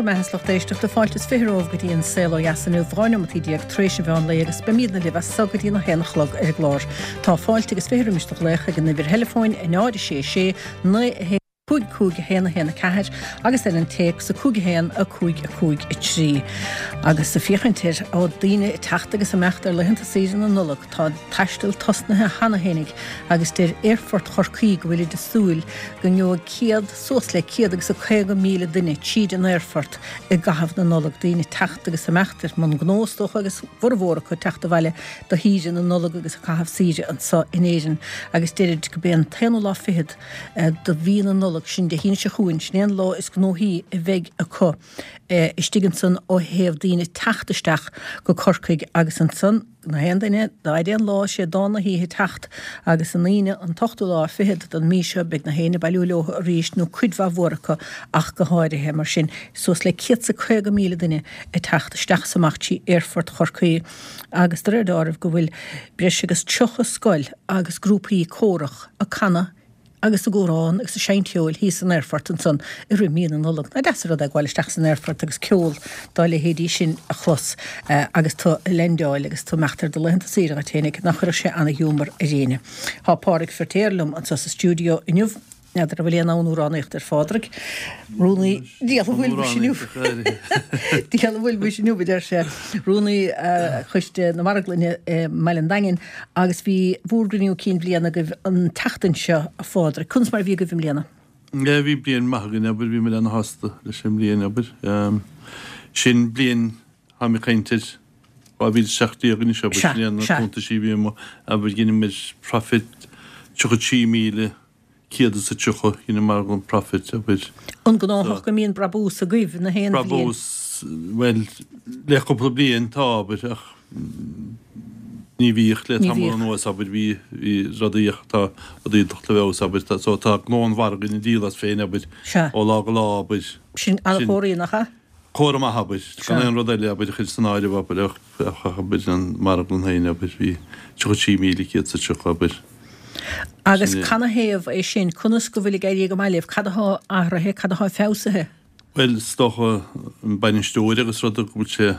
mbeatha is lucht éisteachta, fáilte is 20 romhaibh go dtí an Saol Ó Dheas inniu, 12 neomataí tar éis an mheán lae agus beimídne libh as so go dtí an 1 a chlog ar an gclár. Tá fáilte agus 20 roimis do ghlaoch ag an uimhir theileafóin 0 6 6 9 1 5 5 1 1 4 agus ar an téacs 5 1 5 5 3. Agus ag féachaint ar daoine ag teacht agus ag imeacht ar laethanta saoire na Nollag, tá an taisteal tosnaithe cheana fhéinig agus deir Aerfort Chorcaí go bhfuilid ag súil go ngeobhaidh 100, suas le 150,000 duine tríd an aerfort i gcaitheamh na Nollag, daoine ag teacht agus ag imeacht ar mbun gnó is dócha agus a bhformhór acu ag teacht abhaile do shaoire na Nollag agus ag caitheamh saoire anso in Éirinn agus deirid go b'é an t-aonú lá fichead do mhí na Nollag, sin Dé hAoine seo chugainn, sin é an lá is gnóthaí a bheidh acu istigh ansan ó thaobh daoine teacht isteach go Corcaigh agus ansan na haon duine dá fhaide an lá sé dán na hoíche teacht agus an Aoine an t-ochtú lá fichead don mí seo beidh na héinne ag bailiú leo arís nó cuid mhaith mhór acu ach go háirithe. Mar sin suas le 150,000 duine ag teacht isteach is amach trí Aerfort Chorcaí agus de réir deáraimh go bhfuil breis agus 30 scoil agus grúpaí córach ag canadh agus ag amhrán agus ag seinnt cheoil thíos san aerfort ansan i rith mí na Nollag. Nach deas an rud é gabháil isteach san aerfort agus ceol dá leithéidí sin a chlos agus tú ag leaindeáil agus tú ag imeacht ar do laethanta saoire dhuit fhéinig, nach gcuirfeadh sé ana-ghiúmar ar éinne. Tá Pádraig Firtéar liom anso sa stiúideo inniu. N'fheadar an bhfuil aon fhonn amhránaíochta ar Phádraig. Rúnaí Diabhal a bhfuil muis inniu. Diabhal a bhfuil muis inniu, a deir sé. Rúnaí Choiste na Marglainne i mBaile an Daingin agus bhí bhúr gcruinniú cinn bhliana agaibh an tseachtain seo, a Phádraig. Conas mar a bhí agaibh i mbliana? Yeah, bhí bliain maith againn, abair, bhí muid ana-shásta leis an mbliain, abair. Sin bliain, táim ag caint ar 2017 anois, abair, sin é na cuntaisí a bhí amuigh, abair, dheineamar profit 33,130, dhein an marglann profit, abair. An gnáthach go mbíonn brabús agaibh na haon bhliain? Brabús, bhuel, le cúpla bliain tá, abair, ach ní bhíodh le tamall anuas, abair, bhí, bhí rudaí ach tá rudaí ag teacht i bhfeabhas, abair, tá, so tá gnó an mhargaidh ag díol as féin, abair, ó lá go lá, abair. Sin an-chomhartha, nach ea? Comhartha maith, abair, gan aon rud eile, abair, a chur san áireamh, abair, ach, abair, an marglann féin, abair, bhí 33,130, abair. Agus canathaobh é sin? Conas go bhfuil ag éirí go maith libh? Cad athá athraithe? Cad athá feabhsaithe? Bhuel, is dócha an bainisteoir agus ruda go bhfuil sé,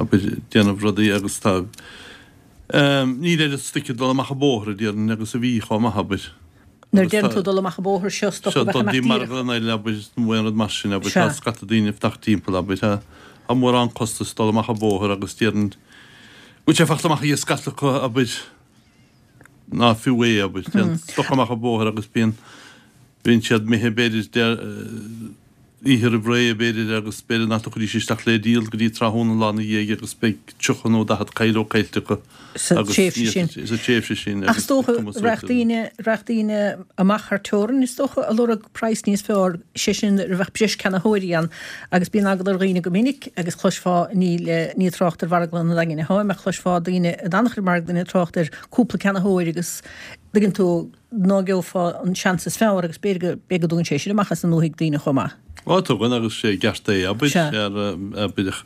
abair, déanamh rudaí agus tá, níl oiread stoic ag dul amach an bóthar, a déarfainn, agus a bhí chomh maith, abair. Nuair a deireann tú dul amach an bóthar, seo stoc a bheadh amach díreach. Marglann eile, abair, nó aon rud mar sin, abair, tá scata daoine ag teacht timpeall, abair, tá tá mórán costas dul amach an bóthar agus déarfainn go bhfuil sé fachta amach ag scata acu, abair, ná fiú é, abair, téann stoc amach an bóthar agus bíonn, bíonn siad imithe, b'fhéidir, oíche roimh ré, b'fhéidir, agus b'fhéidir nach dtiocfaidís isteach le díol go dtí tráthnóna an lá ina dhiaidh agus beidh 30 nó 40 caidhleog caillte acu sa tréimhse sin. Sa tréimhse sin. Ach is dócha, raghadh daoine, raghadh daoine amach thar teorainn, is dócha, a lorg praghas níos fearr, sé sin, nuair a bheadh breis ceannaitheoirí ann agus bíonn eagla ar dhaoine go minic agus chloisfeá, ní le, ní ag trácht ar mharglann an Daingin atáim, ach chloisfeá daoine in an-chuid marglainne ag trácht ar cúpla ceannaitheoir agus, dtuigeann tú, ná geofá an seans is fearr agus b'fhéidir go, b'fhéidir go dtugann sé sin amach as an ndúthaigh daoine chomh maith. Á, tugann agus sé i gceart é, abair, abair ach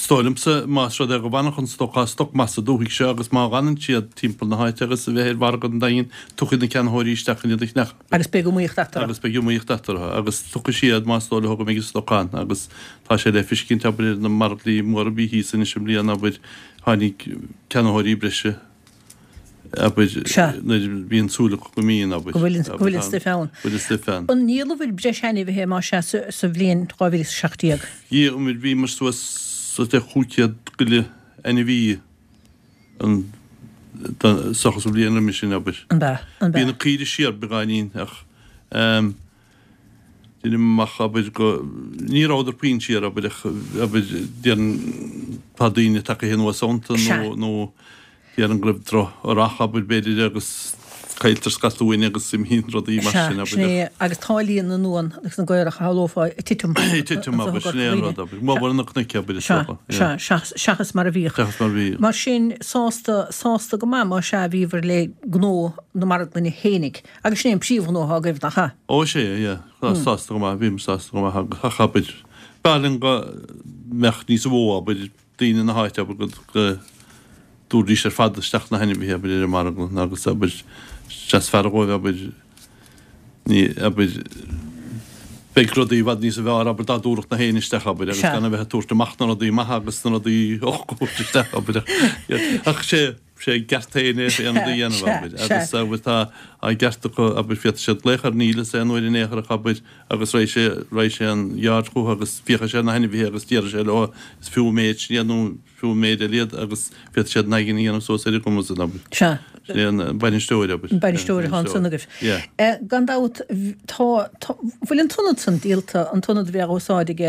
is dóigh liomsa más rud é go bhfanfadh an stoc, tá stoc maith sa dúthaigh seo agus má fhanann siad timpeall na háite agus a bheith ar mhargadh an Daingin, tiocfaidh na ceannaitheoirí isteach chun iad a cheannach. Agus beidh iomaíocht eatarthu. Agus beidh iomaíocht eatarthu agus tiocfaidh siad más dóigh leo go mbeidh an stoc ann agus tá sé le feiscint, abair, ar na margaí móra a bhí thíos anois i mbliana, abair, tháinig ceannaitheoirí breise. abair, nuair a bhíonn súil acu go mbíonn, abair. Go bhfuil an stuif ann. Go bhfuil an stuif ann. An ndíolabhair breis ainmhithe, más ea, sa bhliain 2017? Dhíolamair, bhíomar suas le 500 go leith ainmhí an seachas an bhliain roimhe sin, abair. An ea? An ea? Bhí na caoirigh siar beagáinín ach deinim amach, abair, go, ní rabhadar puinn siar, abair, ach, abair, déarfainn tá daoine tagtha anuas iontu nó, nó déarfainn go raibh droch-rath, abair, b'fhéidir agus cailltear scata uain agus imíonn rudaí mar sin, abair. Sea, sin é, agus tá líon na n-uan agus na gcaorach a shamhlófá ag titim. Ag titim, abair, sin é an rud, abair. Mór na cnoic, abair, is dócha. Sea, sea, seachas mar a bhíodh. Seachas mar a bhíodh. Mar sin, sásta, sásta go maith, más ea, a bhíobhair le gnó na marglainne fhéinig. Agus sin é an príomhghnó atá agaibh, nach ea? Ó, is ea, yeah. Sásta go maith, bhíomar sásta go maith agus, ach abair, b'fhearr linn go mbeadh níos mó, abair, daoine na háite, abair, go, go dtabharfaidís ar fad isteach na hainmhithe, abair, ar an marglann agus, abair, is fearr dhóibh, abair, ní, abair, bheith. Beidh rudaí i bhfad níos fearr, abair, dá dtabharfadh na héinne isteach, abair, agus gan a bheith ag tabhairt amach na rudaí maithe agus na rudaí olca a thabhairt isteach, abair, ach sé, sé a gceart féin é aon rud a dhéanamh, abair, agus, abair, tá a gceart acu, abair, féadfaidh siad glaoch ar Neil is aon uair in aon chor ach, abair, agus raghaidh sé, raghaidh sé an yard chucu agus féachfaidh sé ar na hainmhithe agus déarfaidh sé leo is fiú an méid sin iad nó fiú an méid eile iad agus féadfaidh siad naigin a dhéanamh suas ar a gcumas san, abair. Sea. Sin é an bainisteoir, abair. An bainisteoir atá ansan agaibh. Yeah. Gan dabht, tá, tá, bhfuil an t-ionad san díolta, an t-ionad a bheadh á úsáid ag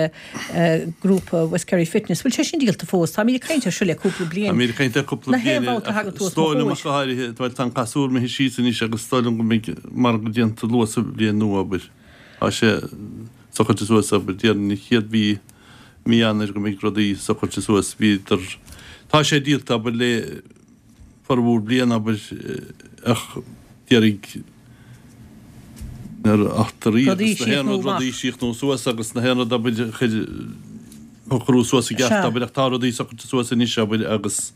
grúpa West Kerry Fitness, bhfuil sé sin díolta fós? Táimid ag caint air seo le cúpla bliain. Táimid ag caint air cúpla bliain. Na haon bhabhta a thagann tú os mo chomhair. Is dóigh liom ach go háirithe, bhuel tá an casúr imithe síos anois agus is dóigh liom go mbeidh margadh déanta luath sa bhliain nua, abair. Tá sé socraithe suas, abair, déarfainn an chéad mhí, mí Eanáir go mbeidh rudaí socraithe suas. Bhíodar, tá sé díolta, abair, le formhór bliana, abair, ach d'iarraidh na eachtraí agus na haon rud, rudaí síochnú suas agus na haon rud, abair, a chur, shocrú suas i gceart, abair, ach tá rudaí socraithe suas anois, abair, agus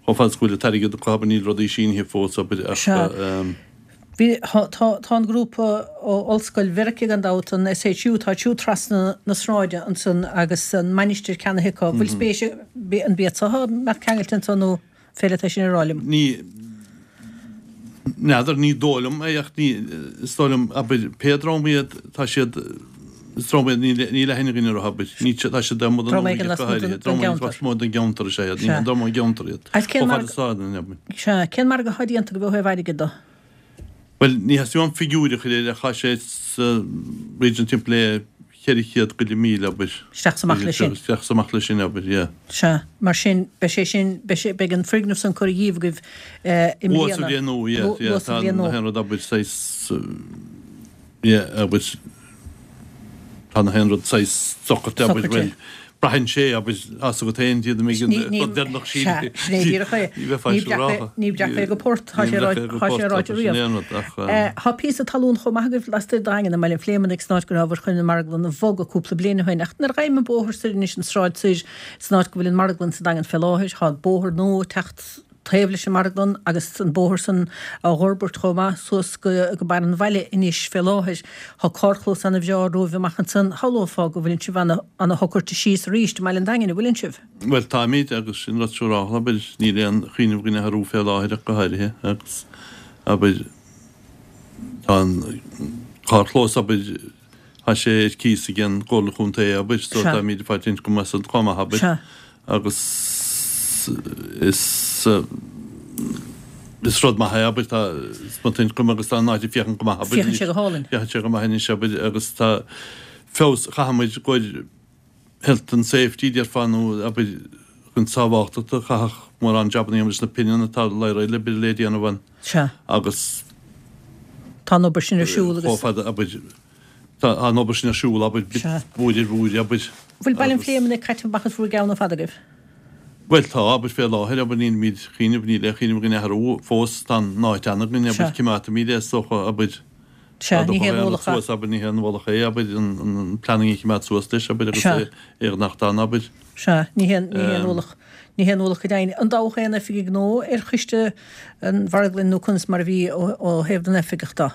chomh fada is go bhfuil an t-airgead acu, abair, níl rudaí sínithe fós, abair, ach. Bhí, tá, tá an grúpa ó Ollscoil Mheiriceá gan dabht, an SHU, tá siúd trasna na sráide ansan agus an mainistir ceannaithe acu. Bhfuil spéis, an b'iad so a mbeadh ceangailte anso nó féidir leat é sin a rá liom? Ní, n'fheadar, ní dóigh liom é ach ní, is dóigh liom, abair, pé dream iad, tá siad, is dream iad, níl, níl aithne againn orthu, abair, ní, tá siad amuigh den Dream éigin lasmuigh den, den gceantar. Lasmuigh den gceantar is ea iad, ní dream ón gceantar iad. Agus cén Chomh mar, fada is atá an, abair. Sea, cén margadh atá déanta agaibh ó thaobh airgid de? Bhuel, ní theastaíonn uaim figiúir a chur air ach tá sé sa region timpeall le 400 go leith míle, abair. Isteach 's amach leis sin. Isteach 's amach leis sin, abair, yeah. Sea, mar sin, beidh sé sin, beidh sé, beidh an foirgneamh san curtha dhíobh agaibh i Luath mbliana. sa bhliain nua, yeah, yeah, Luath sa tá bhliain na nua. haon rud, abair, saghas, yeah, abair, Tá na haon rud saghas socraithe, abair, Socraithe. bhuel, braitheann sé, abair, tá a fhios agat féin, iad a mbeidh an Ní, ní, rud deireanach sea, síle. sin é díreach é. Ní bheifeá Ní ag breac é, rá. ní breac é go port, tá Ní sé breac é go tá sé port, ráite abair, sin riamh. é an rud, ach, eh. Tá píosa talún chomh maith agaibh lastoir de Dhaingean i mBaile an Phléimeannaigh san áit go rabhabhair chun an marglann a bhogadh cúpla bliain ó shin. Ach nuair a ghabhaim an bóthar soir anois, an sráid soir, san áit go bhfuil an marglann sa Daingean fé láthair, tá bóthar nua ag teacht taobh leis an marglann agus an bóthar san á dh'fhorbairt chomh maith suas go barr an bhaile anois fé láthair. Tá carrchlós ana bhreá romhaibh amach ansan. Shamhlófá go bhfuileann sibh ana ana shocraithe síos arís i mBaile an Daingin, an bhfuileann sibh? Bhuel, táimid agus sin rud siúrálta, abair, níl aon chuimhneamh againn athrú fé láthair ach go háirithe agus, abair, tá an carrchlós, abair, Tá sé ar cíos ag an gComhairle Chontae, abair, so táimid ag fáilt ioncam as san chomh maith, abair, agus is is rud maith é, abair, tá an t-ioncam agus tá an áit ag féachaint go maith, abair. Féachann sé go hálainn. Féachann sé go maith anois, abair, agus tá feabhas, chaithfidh muid gur health and safety, déarfá, nó abair, chun sábháilteachta, chaithfeadh mórán jabanna a dhéanamh leis na pinnin atá le le déanamh ann. Sea. Agus. Tá an obair sin ar siúl agus. Chomh fada, abair, tá an obair sin ar siúl, abair, bit uair ar uair, abair. Bhfuil Baile an Phléimeannaigh caite amach as bhur gceann ar fad agaibh? Bhuel, tá, abair, fé láthair, abair, nílimid ag cuimhneamh, níl aon chuimhneamh againn athrú fós, tá an áit an-againn, abair, coimeádfaimid é, is dócha, abair. Sea, ní haon ualach é. Suas, abair, ní haon ualach é, abair, an planning a choimeád suas leis, abair, agus é a fhanacht ann, abair. Sea, ní haon, ní haon ualach, ní haon ualach go deimhin. An dtoghadh aon oifigigh nua ar choiste an mharglainn nó conas mar a bhí ó thaobh na n-oifigeach de?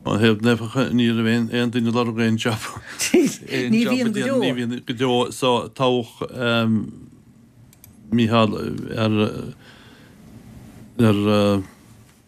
Ó thaobh na n-oifigeach, ní raibh aon, aon duine ag lorg aon job. Ní bhíonn go deo. Ní bhíonn go deo. So, toghadh Mícheál ar, ar,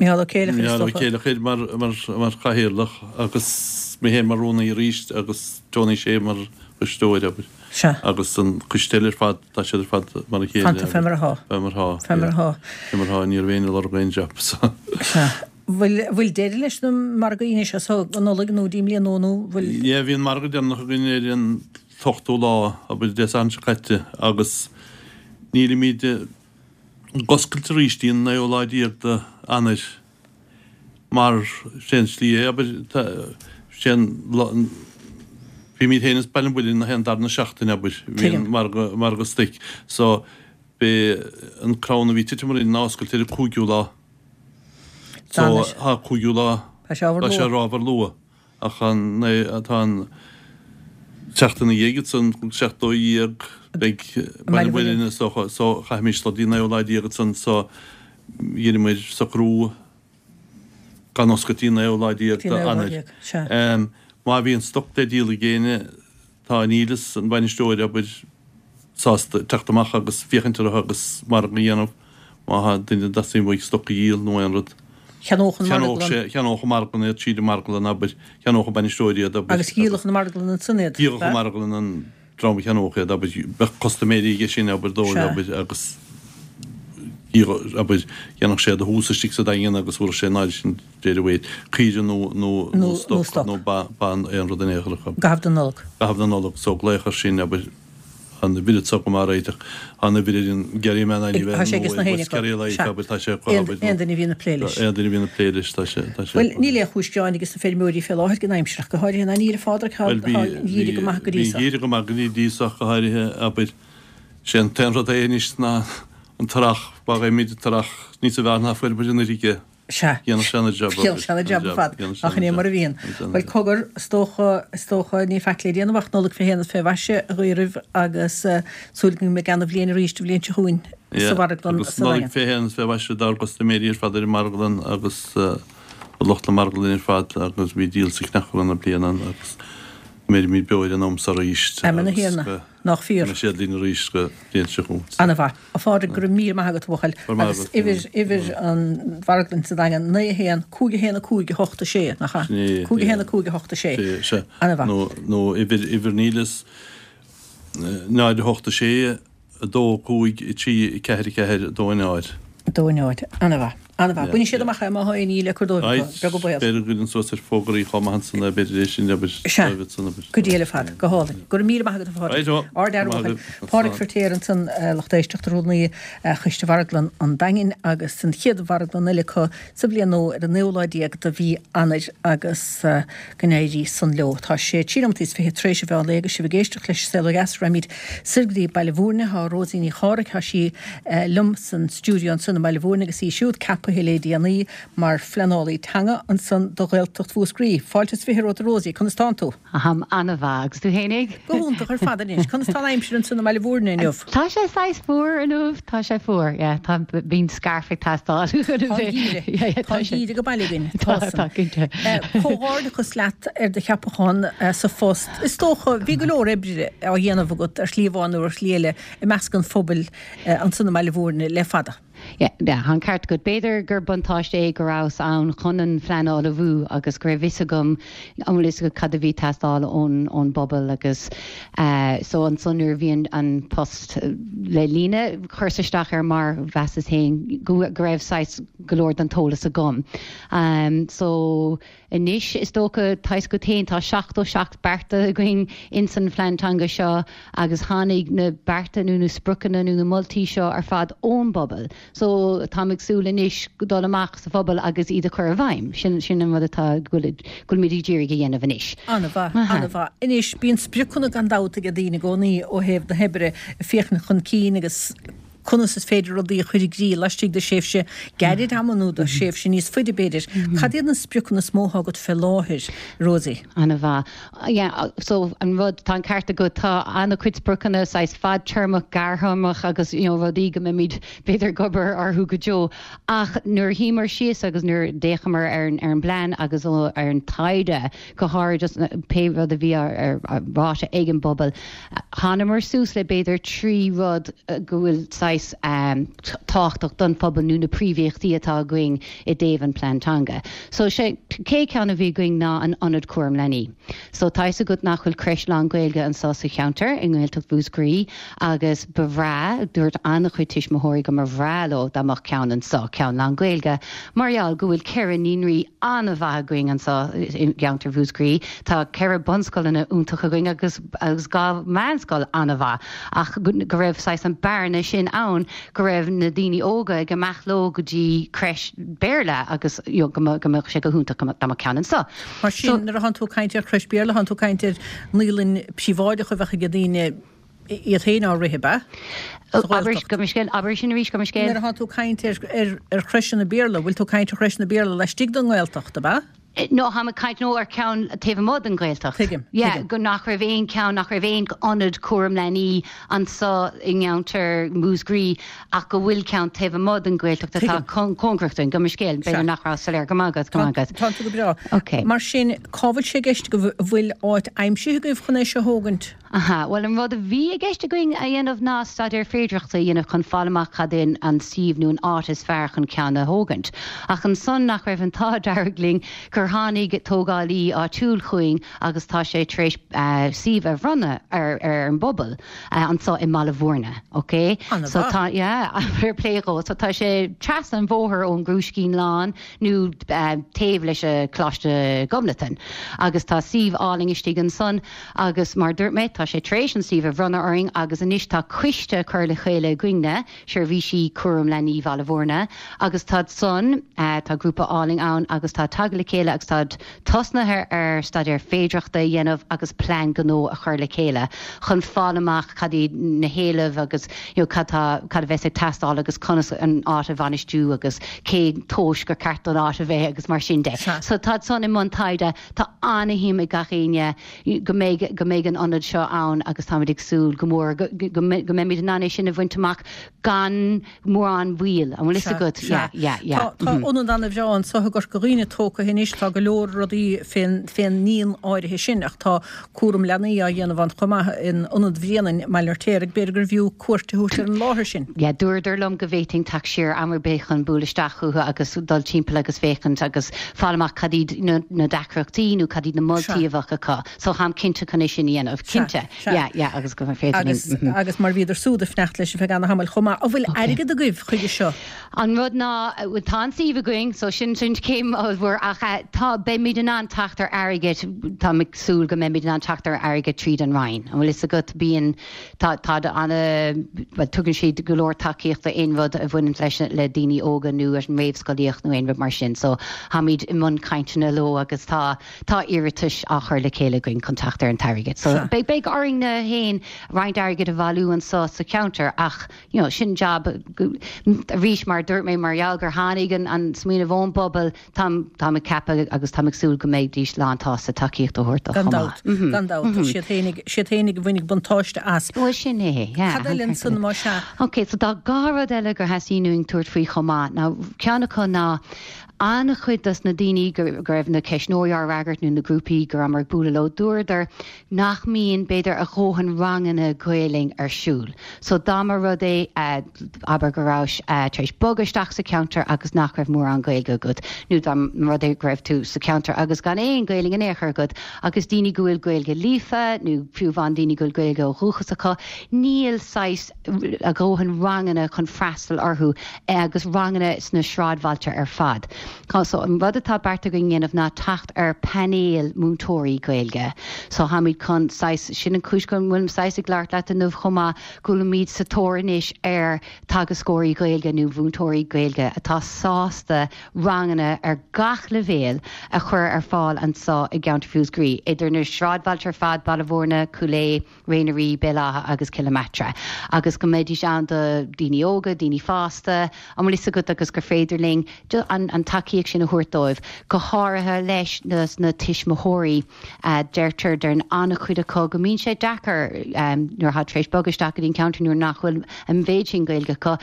Mícheál Ó Céileachair, is Mícheál Ó dócha. Céileachair mar, mar, mar chathaoirleach agus mé féin mar rúnaí arís agus Tony Shea mar chisteoir, abair. Sea. Agus an coiste eile ar fad, tá siad ar fad mar a chéile. Fanta fé mar atá. Fé mar atá. Fé mar atá. Fé mar atá, ní raibh éinne ag lorg aon job, so. Sea. Bhfuil, bhfuil deireadh leis na margaí anois as so go Nollaig nó dtí an mbliain nua nó bhfuil. Yeah, bhí an margadh deireanach againn ar an t-ochtú lá, abair, Dé Sathairn seo caite agus nílimid, ag oscailt arís dtí an naoú lá déag de Eanáir mar sé an slí é, abair, sé an lá, bímid féin is Baile an Mhuilinn na haon darna seachtain, abair, bhí an margadh, margadh stoic so b'é an crann a bhí titim orainn ná oscailt ar an cúigiú lá. So tá cúigiú lá, tá sé ábhar luath. Ach an tá an tseachtain ina dhiaidh ansan, 17 beidh Baile an Mhuilinn is dócha, so chaithfimis dul dtí an naoú lá déag ansan, so dheineamair socrú gan oscailt dtí an naoú lá déag d'Eanáir. Má bhíonn stoc le díol ag éinne, tá Neilus, an bainisteoir, abair, sásta teacht amach agus féachaint orthu agus margadh a dhéanamh má tá duine a dteastaíonn uaidh stoc a dhíol nó aon rud. Cheannódh an marglann. Cheannódh sé, cheannódh an marglann iad, tríd an marglann, abair, cheannódh an bainisteoir iad, abair. Agus dhíolfadh an marglann ansan iad, Dhíolfadh an marglann an dream a cheannódh iad, abair, bheadh custaiméirí aige sin, abair, dóibh, abair, agus dhíolfadh, abair, dhéanfadh sé iad a thomhas istigh sa Daingean agus thabharfadh sé an áirithe sin de réir a mhéid, caoire nó, nó, nó stoc nó ba, ba, aon rud in aon chor acu. I gcaitheamh na Nollag. I gcaitheamh na Nollag, so glaoch air sin, abair. An uimhir atá agam á réiteach. An uimhir ar an Gerry Man anyway Tá sé aige sna héinne acu. Sea. Tá sé acu. Aon duine a bhíonn ag plé leis. Aon duine a bhíonn ag plé leis, tá sé. Tá sé. Bhuel, níl aon chúis gearáin aige sna feirmeoirí fé láthair den aimsir ach go háirithe ná níl, a Phádraig, tá an geimhreadh go maith go dtí so. Bhí an geimhreadh go maith go dtí so ach go háirithe, abair. Sé an t-aon rud é anois ná an t-earrach, má fhaighimid an t-earrach níosa bhfearr ná fuair muid anuraidh. Sea. Dhéanfadh sé an-jab. Dhéanfadh sé an-jab ar fad. Ach an é mar a bhíonn. Bhuel, cogar, is dócha, is dócha, ní faic le déanamh ach Nollaig fé shéan is fé mhaise a ghuí oraibh agus súil go mbeidh ana-bhliain arís an bhliain seo chugainn sa mharglann sa Daingean. Nollaig fé shéan is fé mhaise dár gcustaiméirí ar fad ar an marglann agus do lucht na marglainne ar fad agus bhí díol sa chneachmhar ana bliain ann agus go mbeirimid beo ar an am so arís Amen a Thiarna. Nach fíor. Go mbeidh siad linn arís go bliain seo chugainn. Ana-mhaith. A Phádraig, go raibh míle maith agat, a bhuachaill. Go raibh maith agat. Agus uimhir, uimhir an mharglann sa Daingean, 9 1 5 1 5 8 6, nach ea? Sin é. 5 1 5 8 6. Sea, sea. Ana-mhaith. Nó, nó uimhir, uimhir Neilus, 0 8 6 2 5 3 4 4 2 0. 2 0. Ana-mhaith. An-mhaith. Bainfidh siad amach é má tá aon ní le cur dóibh acu. Beag an baol. B'fhéidir go gcuireann suas ar fógraí chomh maith ansan é, b'fhéidir é sin abair Sea. dóibh ansan abair. Go diail ar fad. Go hálainn. Go raibh míle maith agat a Phádraig. Right o. Ard-fhear Go a maith bhuachaill. agat. Pádraig Firtéar ansan, lucht éisteachta, Rúnaí Choiste Mharglann an Daingin agus an chéad mharglann eile acu sa bhliain nua ar an naoú lá déag de mhí Eanáir agus go n-éirí san leo. Tá sé 3 nóimeataí is 20 tar éis an mheán lae agus sibh ag éisteacht leis Saol Ó Dheas. Raghaimid soir go dtí Baile Mhúirne. Tá Rosie Ní Chárthaigh, tá sí liom san stiúideo ansan i mBaile Mhúirne agus í siúd ceapaithe le déanaí mar phleanálaí teanga ansan do Ghaeltacht Mhúscraí. Fáilte is 20 romhat a Rosie, conas tánn tú? Táim an-mhaith, agus tú fhéinig? Go hiontach ar fad anois. Conas tá an aimsir ansan i mBaile Mhúirne inniu? Tá sé saghas fuar inniu, tá sé fuar, yeah, tá, bíonn scarf ag teastáil. Tá an geimhreadh, yeah, yeah, tá an geimhreadh go baile againn, tá san. Tá, cinnte. Comhghairdeachas leat ar do cheapachán sa phost. Is dócha, bhí go leor oibre á dhéanamh agat ar shlí amháin nó ar shlí eile i measc an phobail ansan i mBaile Mhúirne le fada. Yeah, yeah, tá an ceart agat. B'fhéidir gur buntáiste é go rabhas ann chun an phleanáil a ullmhú agus go raibh fhios agam, an bhfuil fhios agat cad a bhí ag teastáil ón, ón bpobal agus eh, so ansan nuair a bhí an, an post le líonadh, chuireas isteach air mar mheasas féin go, go raibh saghas go leor den t-eolas agam. Um, so Anois, is dócha, tá fhios agat féin, tá 77 bearta againn ins an phlean teanga seo agus tháinig na bearta nó na spriocanna nó na moltaí seo ar fad ón bpobal. So, táim ag súil anois dul amach sa phobal agus iad a chur i bhfeidhm. Sin, sin an rud atá, go bhfuil, go bhfuilimid ag iarraidh a dhéanamh anois. An-mhaith, an-mhaith. Anois, bíonn spriocanna gan dabht ag daoine i gcónaí ó thaobh na hoibre, ag féachaint chun cinn agus conas is féidir rudaí a chur i gcrích laistigh de thréimhse gairid ama nó de thréimhse níos faide, b'fhéidir. Cad iad na spriocanna is mó atá agat fé láthair, Rosie? An-mhaith. Yeah, so an rud, tá an ceart agat, tá an-chuid spriocanna saghas fadtéarmach, gearrthéarmach agus you know rudaí go mbeimid b'fhéidir ag obair orthu go deo. Ach nuair a shuíomar síos agus nuair a d'fhéachamar ar an ar an bplean agus ar an taighde, go háirid just pé rud a bhí ráite ag an bpobal, Thánamar suas le b'fhéidir 3 rud go bhfuil saghas tábhachtach don phobal nó na príomhéachtaí atá againn i dtaobh an plean teanga. So sé chéad ceann a bhí againn ná an Ionad Cúram Leanaí. So tá fhios agat nach bhfuil creis lán Gaeilge anso sa cheantar i nGaeltacht Mhúscraí agus ba bhreá, dúirt an-chuid tuismitheoirí go mba bhreá leo dá mbeadh ceann anso, ceann lán Gaeilge, mar gheall go bhfuil 4 naíonraí an-mhaith againn anso i gceantar Mhúscraí. Tá 4 bunscoileanna iontach againn agus agus 2 mheánscoil an-mhaith ach go raibh saghas an bearna sin ann go raibh na daoine óga ag imeacht leo go dtí creis Béarla agus you know go mbeadh sé go hiontach dá mbeadh ceann anso. Mar sin nuair atánn tú ag caint ar chreis Béarla tánn tú ag caint ar naíolann príobháideach a bheadh ag daoine iad féin á rith, ab ea? Sa Ghaeltacht. Gabh mo leithscéal, abair sin arís, gabh mo leithscéal. Nuair atánn tú ag caint ar ar chreiseanna Béarla, bhfuil tú ag caint ar chreiseanna Béarla laistigh den nGaeltacht, ab ea? No, táim ag caint, no, ar cheann taobh amuigh den Ghaeltacht. Tuigim, Yeah, tuigim. go nach raibh aon cheann, nach raibh aon ionad cúram leanaí anso i gceantar Mhúscraí ach go bhfuil ceann taobh amuigh den Ghaeltacht atá Tuigim. cóngarach dúinn. Gabh mo leithscéal, Sea. b'fhéidir nach raibh soiléir. Go maith agat, go Tá, maith agat. tá tú go breá. Ok. Mar sin, cá bhfuil sé i gceist agaibh, an bhfuil áit aimsithe agaibh chun é seo a thógaint? Aha, bhuel an rud a bhí i gceist againn a dhéanamh ná staidéar féidearthachta a dhéanamh chun fáil amach cad é an suíomh nó an áit is fearr chun ceann a thógaint. Ach ansan nach raibh an t-ádh dearg linn gur tháinig tógálaí áitiúil chugainn agus tá sé tar éis suíomh a bhronnadh ar ar an bpobal anso i mBaile Mhúirne, ok? So An-mhaith. tá, yeah, fair play dhó. So tá sé trasna an bhóthair ón gCrúiscín Lán nó taobh leis an Coláiste Ghobnatan agus tá suíomh álainn istigh ansan. Agus mar a dúirt mé, tá sé tar éis an suíomh a bhronnadh orainn agus anois tá coiste curtha le chéile againne, Seirbhísí Cúram Leanaí Bhaile Mhúirne, agus táid san, tá grúpa álainn ann agus tá tagtha le chéile agus táid tosnaithe ar staidéar féidearthachta a dhéanamh agus plean gnó a chur le chéile chun fáil amach cad iad na héilimh agus you know cad tá, cad a bheas ag teastáil agus conas an áit a bhainistiú agus cén tomhas gur ceart don áit a bheith agus mar sin de. So táid san i mbun taighde. Tá ana-shuim ag gach éinne go mbeidh, go mbeidh an ionad seo ann agus táimid ag súil go mór go, go, go mbeimid in ann é sin a bhaint amach gan mórán mhoill. An bhfuil fhios Sea, agat? sea. Yeah, yeah, yeah. Tá, tá ionad ana-bhreá anso i gCorca Dhuibhne tógtha anois, tá go leor rudaí fén, fén ndíon áirithe sin ach tá cúram leanaí á dhéanamh ann chomh maith in Ionad Bhréanainn i mBaile an Fheirtéaraigh. B'fhéidir gurbh fhiú cuairt a thabhairt ar an láthair sin. Yeah, dúradar liom go bhféadfainn teacht siar am ar bith chun bualadh isteach chucu agus dul timpeall agus féachaint agus fáil amach cad iad na, na deacrachtaí nó cad iad na moltaí a bheadh acu. So táim cinnte chun é sin a dhéanamh. Cinnte. Yeah, yeah, agus go féidir linn. Agus, agus mar bhíodar súd ag fanacht leis ar feadh ana-thamaill chomh maith. An bhfuil airgead agaibh chuige seo? An rud ná, tá an suíomh againn, so sin sin céim ollmhór, ach tá, beimid in ann teacht ar airgead, táim ag súil go mbeimid in ann teacht ar airgead tríd an Roinn. An bhfuil fhios agat, bíonn, tá, tá ana, bhuel, tugann siad go leor tacaíochta aon rud a bhaineann leis, le daoine óga nó leis an réamhscolaíocht nó aon rud mar sin. So, táimid i mbun cainteanna leo agus tá, tá iarratais á chur le chéile againn chun teacht ar an t-airgead. So, beidh, beidh orainn-ne féin roinnt airgid a bhailiú anso sa cheantar ach, you know, sin jab, arís, mar a dúirt mé, mar gheall gur tháinig an, an smaoineamh ón bpobal, táim, táim ag ceapadh agus táim ag súil go mbeidís lánsásta tacaíocht a thabhairt dó Gan chomh dabht, maith. gan dabht. Siad féinig, siad féinig a bhainfidh buntáiste as. Bhuel, sin é, yeah. Cad eile ansan, más ea? Ok, so tá dhá rud eile gur theastaigh uainn tabhairt faoi chomh maith. Now, ceann acu ná an-chuid dos na daoine go, go raibh na ceistneoirí á fhreagairt nó na grúpaí go rabhamar ag bualadh leo, dúradar nach mbíonn, b'fhéidir, a dhóthain ranganna Gaelainn ar siúl. So dá mba rud é, abair, go rabhais tar éis bogadh isteach sa cheantar agus nach raibh mórán Gaeilge agat, nó dá mba rud é go raibh tú sa cheantar agus gan aon Ghaelainn in aon chor agat, agus daoine go bhfuil Gaeilge líofa, nó fiú amháin daoine go bhfuil Gaeilge ó dhúchas acu, níl saghas a dhóthain ranganna chun freastal orthu agus ranganna sna sráidbhailte ar fad. So an rud atá beartaithe againn a dhéanamh ná teacht ar painéal múinteoirí Gaeilge. So táimid chun saghas, sin an chúis go bhfuilim saghas ag labhairt leat inniu chomh maith, go bhfuilimid sa tóir anois ar teagascóirí Gaeilge nó mhúinteoirí Gaeilge atá sásta ranganna ar gach leibhéal a chur ar fáil anseo i gceantar Mhúscraí, idir na sráidbhailte ar fad, Baile Mhúirne, Cúil Aodha, Ré na Rí, Béal Átha agus Cill na Martra, agus go mbeidís ann do dhaoine óga, daoine fásta, an bhfuil fhios agat, agus gur féidir linn an tacaíocht sin a thabhairt dóibh, go háirithe leis na tuismitheoirí. Deirtear, deireann an-chuid acu go mbíonn sé deacair nuair atá tar éis bogadh isteach go dtí an ceantar nuair nach bhfuil an mhéid sin Gaeilge acu,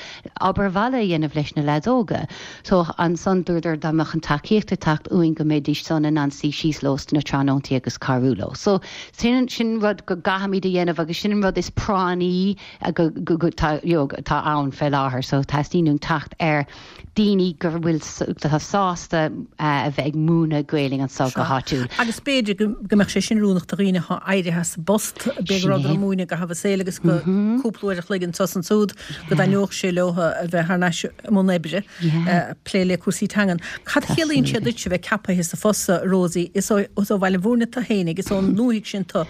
obair bhaile a dhéanamh leis na leaids óga. So ansan dúradar dá mbeadh an tacaíocht ag teacht uainn go mbeidís san in ann suí síos leo sna tráthnóntaí agus cabhrú leo. So Sin sin rud go gcaithfimid a dhéanamh agus sin an rud is práinní go go go tá you know atá ann fé láthair. So teastaíonn uainn teacht ar daoine go bhfuil atá sásta a bheith ag múineadh Gaelainn anseo go háitiúil. Agus b'fhéidir go go mbeadh sé sin oiriúnach do dhaoine atá éirithe as a bpost, b'fhéidir go rabhadar ag múineadh i gcaitheamh a saoil agus go cúpla uair a chloig anso is ansúd go dtaitneodh sé leo a bheith thar n-ais i mbun oibre. plé le cúrsaí teangan. Cad a chiallaíonn sé duit a bheith ceapaithe sa phost seo, a Rosie? Is ó Bhaile Mhúirne tu fhéinig, is ón ndúthaigh sin tu.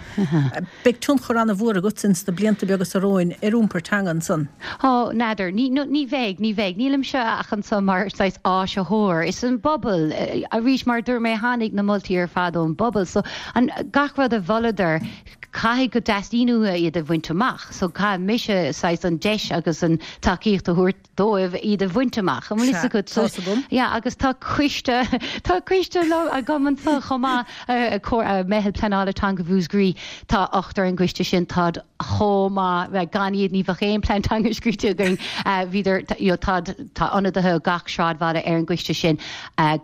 Beidh tionchar ana-mhór agat ins na blianta beaga seo romhainn ar iompar teanga ansan. Ó, n'fheadar. Ní, ní bheidh, ní bheidh. Nílimse ach anso mar saghas áisitheoir. Is an bpobal, arís, mar a dúirt mé, tháinig na moltaí ar fad ón bpobal. So, an, gach rud a mholadar, caithfidh go dteastaíonn uathu iad a bhaint amach. So caithfidh mise saghas an deis agus an tacaíocht a thabhairt dóibh iad a bhaint amach. An bhfuil fhios agat? Sea, tá's agam. Yeah, agus tá coiste, tá coiste agam anso chomh maith, Meitheal Pleanála Teanga Mhúscraí, tá ochtar ar an gcoiste sin, táid chomh maith, gan iad ní bheadh aon plean teanga scríte againn. Bhíodar, you know, táid, tá ionadaithe ó gach sráidbhaile ar an gcoiste sin,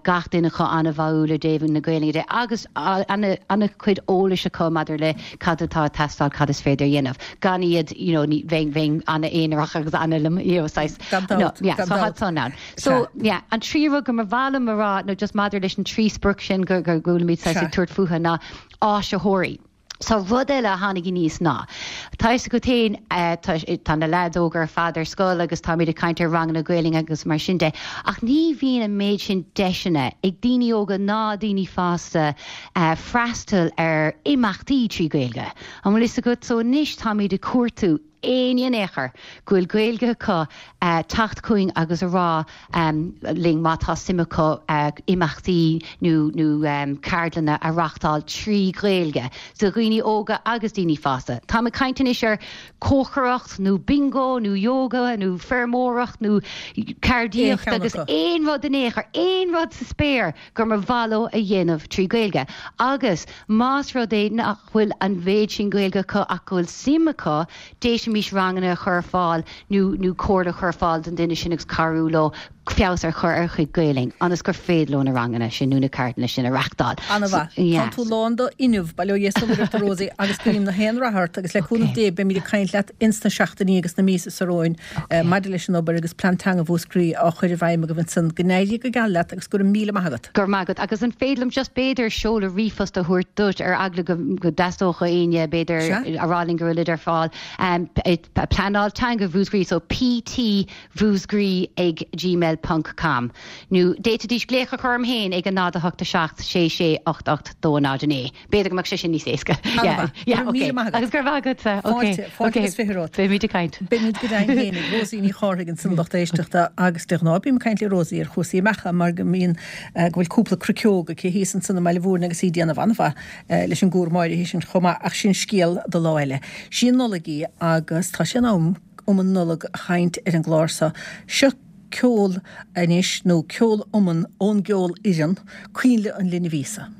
gach duine acu an-bháúil i dtaobh na Gaelainne de agus an-chuid eolais acu maidir le cad atá ag teastáil, cad is féidir a dhéanamh. Gan iad, you know, ní, bheinn, bheinn an-aonarach agus an-, you know, saghas, Gan dabht, no, yeah, gan so dabht. tá san ann. So, yeah, an tríú rud go mba mhaith liom a rá, nó just maidir leis an trí sprioc sin go, go bhfuilimid saghas ag tabhairt fúthu ná áisitheoirí. So rud eile a tháinig aníos ná, tá fhios agat féin, tá, tá na leaids óga ar fad ar scoil agus táimid ag caint ar ranganna Gaelainne agus mar sin de, ach ní bhíonn an méid sin deiseanna ag daoine óga ná daoine fásta freastal ar imeachtaí trí Ghaeilge. An bhfuil fhios agat? So anois táimid ag cuartú éinne in aon chor go bhfuil Gaeilge acu teacht chugainn agus a rá linn má tá suim acu imeachtaí nó nó ceardlanna a reachtáil trí Ghaeilge do dhaoine óga agus daoine fásta. Táim ag caint anois ar cócaireacht nó bingo nó yoga nó feirmeoireacht nó ceardaíocht agus aon rud in aon chor, aon rud sa spéir gur mba mhaith leo a dhéanamh trí Ghaeilge. Agus más rud é nach bhfuil an mhéid sin Gaeilge acu ach go bhfuil suim acu, d'fhéadfaimis ranganna a chur ar fáil nó nó comhairle a chur ar fáil don duine sin agus cabhrú leo feabhas a chur ar a chuid Gaelainn ionas gur féidir leo na ranganna sin nó na ceardlanna sin a reachtáil. Ana-mhaith. Tá tú lán d'fhuinneamh, bail ó Dhia is ó Mhuire ort a Rosie agus guím na haon rath ort agus le cúnamh Dé beimid ag caint leat ins na seachtainí agus na míosa seo romhainn maidir leis an obair agus Plean Teanga Mhúscraí á chur i bhfeidhm agaibh ansan. Go n-éirí go geal leat agus go raibh míle maith agat. Go raibh maith agat. Agus an féidir liom just b'fhéidir seoladh ríomhphost a thabhairt duit ar eagla go dteastódh ó éinne b'fhéidir a rá linn go bhfuilid ar fáil. Pleanáil Teanga Mhúscraí so PT Mhúscraí ag gmail ponc com nó d'fhéadfaidís glaoch a chur orm féin ag a 0 8 7 6 6 8 8 2 0 9. B'fhéidir go mbeadh sé sin níos éasca. Ana-mhaith. Yeah, Go raibh míle ok. maith agat. Agus go raibh maith agatsa. Ok. Fáilte, fáilte Ok. agus 20 romhat. Beimid ag caint. Beimid go deimhin fhéinig. Rosie Ní Chárthaigh ansan lucht éisteachta agus de ghnáth bím ag caint le Rosie ar chúrsaí beacha mar go mbíonn, go bhfuil cúpla cruiceog aici thíos ansan i mBaile Mhúirne agus í ag déanamh an-mhaith leis an gcúram áirithe sin chomh maith ach sin scéal do lá eile. Sí an Nollaig í agus tá sé in am um an Nollaig a chaint ar an gclár seo. Seo ceol anois, nó ceol iomann ón gceolfhoireann, Coinnle an Linbh Íosa.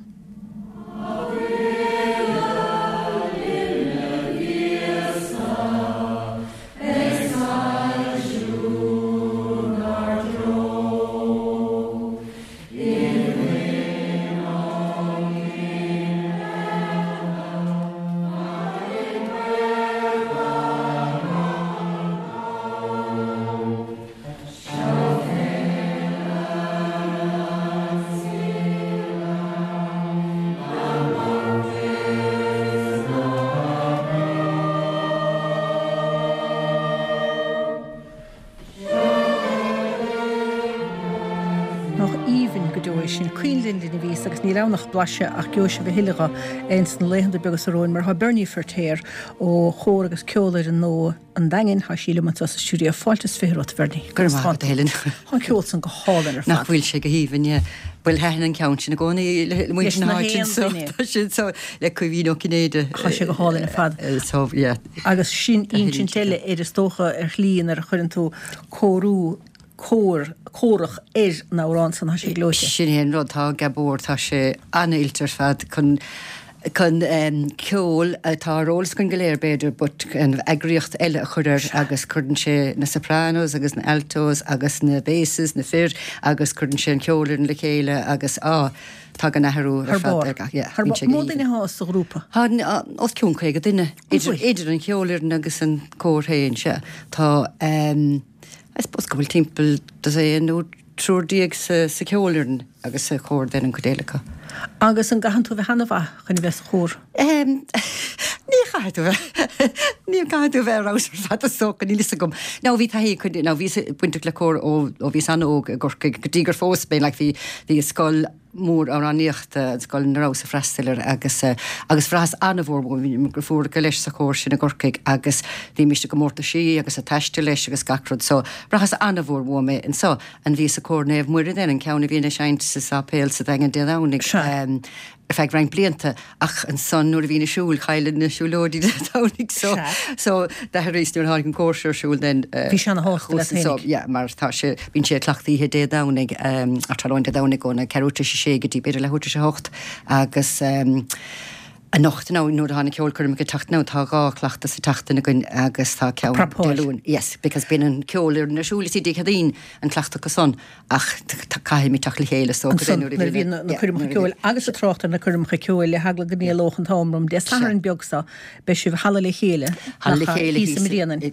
Nach aoibhinn go deo é sin. Coinnle an Linbh Íosa agus níl ann ach blaiseadh ach gheobhaidh sibh a thuilleadh dhe ins na laethanta beaga seo romhainn mar tá Bernie Feirtéar ó Chór agus Ceolfhoireann Nua an Daingin, tá sí liom anseo sa stiúideo. Fáilte is 20 romhat, a Bhernie. Go raibh maith agat, a Helen. Tá an ceol san go hálainn ar fad. Nach bhfuil sé go haoibhinn, yeah. Bhuel, thaitin an ceann sin i gcónaí le muintir na háite anso. Tá sé anso le Caoimhín Ó Cinnéide. Tá sé go hálainn ar fad. So, yeah. Agus sin insint eile ar is dócha ar shlí nuair a chuireann tú cóiriú, cór, córach ar an amhrán san, tá sé gleoite. Sin é an rud, tá Gabor, tá sé an-oilte ar fad chun, chun ceol atá ar eolas againn go léir b'fhéidir but an eagraíocht eile a chur air agus cuireann sé na sopranos agus na altos agus na basses, na fir agus cuireann sé an cheolfhoireann le chéile agus á, tagann athrú ar fad ar gach, yeah, bíonn sé go haoibhinn. Mó duine atá sa ghrúpa? Tá os cionn 50 duine, idir an cheolfhoireann agus an cór féin, sea. Tá, I suppose go bhfuil timpeall dosaen nó triúr sa cheolfhoireann agus sa chór then an chuid eile acu. Agus an gcaitheann tú a bheith ana-mhaith chun a bheith sa chór? Ní chaithfidh tú bheith, ní chaithfidh tú bheith ar fheabhas ar fad is dócha, níl fhios agam. Now bhí taithí acu, now bhíos bainteach le cór ó ó bhíos an-óg i gCorcaigh go dtí gur phós mé, like bhí bhí scoil mór amhránaíochta, an scoil ina rabhas ag freastal air agus agus bhraitheas an-mhór bhí mo dheirfiúracha leis sa chór sin i gCorcaigh agus bhímis i gcomórtaisí agus ag taisteal leis agus gach rud so bhraitheas an-mhór uaim é anso. And bhíos i gcór Naomh Muire then, an ceann a bhíonn ag seinnt sa sáipéal sa Daingean Dé Domhnaigh. Ar feadh roinnt blianta, ach ansan nuair a bhínn ag siúl, chaillinn na siúlóidí Dé Domhnaigh so, so d'athraíos nuair a tháinig an cór seo ar siúl then. Bhí sé ana-shásta leat féinig. Yeah, mar tá sé, bíonn sé ag cleachtadh oíche Dé Domhnaigh, ar tráthnóna Dé Domhnaigh óna ceathrú tar éis a sé go dtí b'fhéidir leathuair tar éis a hocht agus anocht now nuair atá na ceolchoirmeacha ag teacht now tá 2 chleachtadh sa tseachtain againn agus tá ceann Dé Luain, yes, because bíonn an ceolfhoireann ar siúl is Dé Céadaoin an cleachtadh acu san. Ach caithfimid teacht le chéile so ansan nuair a bhíonn na coirmeacha ceoil agus ag trácht ar na coirmeacha ceoil le heagla go n-éalódh an t-am romham Dé Sathairn beag seo beidh sibh i Halla Le Chéile Halla Le Chéile thíos i mBréanainn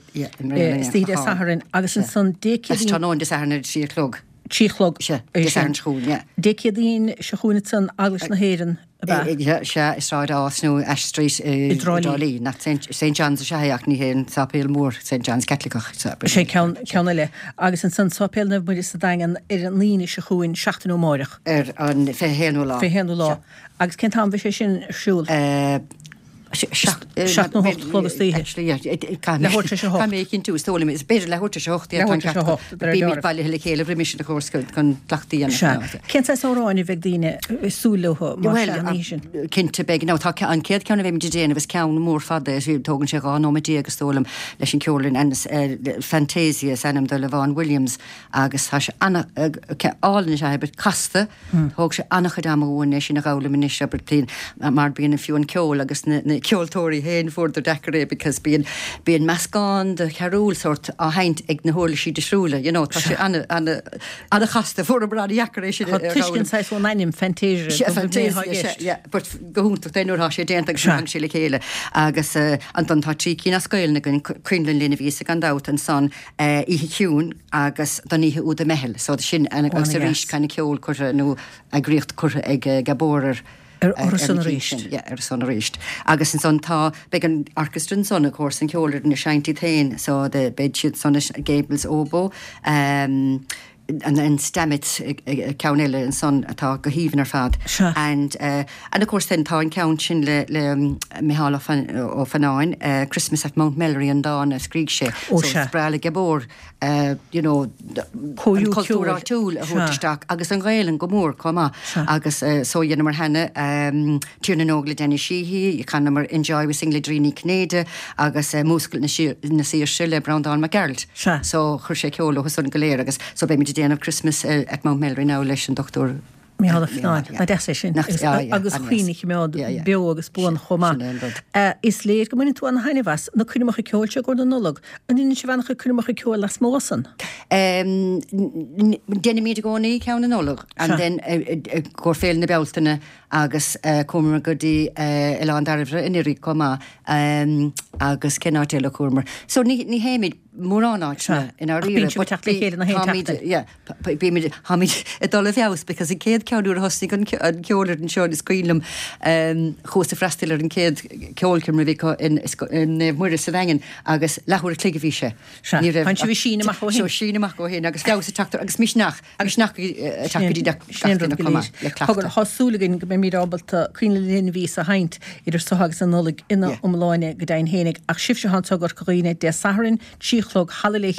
istoíche Dé Sathairn agus ansan Dé Céadaoin Tráthnóna Dé Sathairn ar a 3 a chlog. 3 a chlog. Sea, Dé Sathairn seo chugainn, yeah. Dé Céadaoin seo chugainn ansan Eaglais na hÉireann. Ab ea? Sea, i Sráid Ághas nó Ashe Street i dTrá Lí. Nach St John's is ea é ach ní hé an sáipéal mór St John's Caitliceach. Is é ceann ceann eile. Agus ansan Sáipéal Naomh Muire sa Daingean ar an Aoine seo chugainn, seachtain ó amáireach. Ar an 21ú lá. 21ú lá. Agus cén t-am a bheidh sé sin ar siúl? 7 nó 8 a chlog istoíche. Actually, yeah. Leathuair tar éis a hocht. Caithfidh mé a chinntiú, is dóigh liom. Is b'fhéidir leathuair tar éis a hocht, yeah, tá an ceart agat. Bímid bailithe le chéile roimis sin, of course, chun cleachtaí a dhéanamh. Sea. Cén saghas amhráin a bheidh daoine ag súil leo más ea an oíche sin? Bhuel, cinnte beidh. Now, tá an chéad cheann a bheimid ag déanamh, is ceann mór fada é, tógann sé 12 nóiméad is dóigh liom, leis an cheolfhoireann, and Fantasia is ainm do le Vaughan Williams agus tá sé ana, álainn is ea é, but casta. Thóg sé an-chuid ama uainn é sin a dh'fhoghlaim anois, abair, mar bíonn fiú an ceol agus na ceoltóirí féin fuaireadar deacair é because bíonn, bíonn meascán de charúil sórt á sheinnt ag na huirlisí difriúla, you know, tá sé ana, ana, ana-chasta, fuaireamar an-dheacair é sin a Tá tuiscint saghas ón ainm Fantasia go bhfuil mé i gceist. Yeah, but go hiontach é nuair atá sé déanta agus nuair a thagann sé le chéile. Agus ansan tá 3 cinn as Gaelainn againn, Coinleann Linn a bhíos gan dabht ansan, Oíche Chiúin agus Don Oíche Úd i mBeithil. So sin agus arís kind of ceol curtha nó eagraíocht curtha ag Gabor ar ar san arís. Yeah, ar san arís. Agus ansan tá, beidh an orchestra ansan of course, an cheolfhoireann ag seinnt iad féin so the, beidh siad san Gables Oboe, um, an an Stamitz ceann eile ansan atá go haoibhinn ar fad. Sea. And uh, and of course then tá an ceann sin le le Micheál Ó Fionnáin, uh, Christmas at Mount Melleray an dán a scrígh sé. Ó so sea. Is breá le Gabor uh, you know, an cultúr áitiúil a thabhairt isteach agus an Ghaelainn go mór chomh maith. Sea. Agus uh, so dheineamar cheana um, Tír na nÓg le Danny Sheehy, chanamar In Joy We Sing le Doireann Ní Chinnéide agus uh, Múscailt na Saoirse le Breandán Mac Gearailt. Sea. So chuir sé ceol leo san go léir agus so beimid ag déanamh Christmas at Mount Melleray now leis an Dr. Micheál Ó Fionnáin. Nach deas é sin. Agus cuimhne a choimeád beo agus buan chomh maith. Is léir go mbaineann tú ana-thaitneamh as na coirmeacha ceoil seo i gcomhair na Nollag. An ndéanann sibh an-chuid coirmeacha ceoil lasmuigh san? Déanaimid i gcónaí ceann na Nollag and then i gcomhair Féile na Bealtaine agus chuamar go dtí Oileán Dairbhre anuraidh chomh maith agus cén áit eile a chuamar? So ní théimid mórán áiteanna i ndáiríre. Ach bíonn sibh ag teacht le chéile na haon tseachtain. Yeah, bímid, táimid ag dul i bhfeabhas because an chéad ceann nuair a thosnaigh an cheolfhoireann seo is cuimhin liom chuas ag freastal ar an chéad ceolchoirm a bhí acu in Naomh Muire sa Daingean agus leathuair a chloig a bhí sé. Sea, tá sibh ag síneadh amach ó shin. So síneadh amach ó shin agus feabhas ag teacht agus misneach. Misneach ag teacht go dtí gach duine chomh maith le cleachtadh. Tá súil againn go mbeimid ábalta Coinnle Linn a bhíos á sheinnt idir seo agus an Nollaig ina iomláine go deimhin fhéinig. Ach sibhse atá anseo i gCorca Dhuibhne Dé Sathairn, 3 a chlog, Halla Le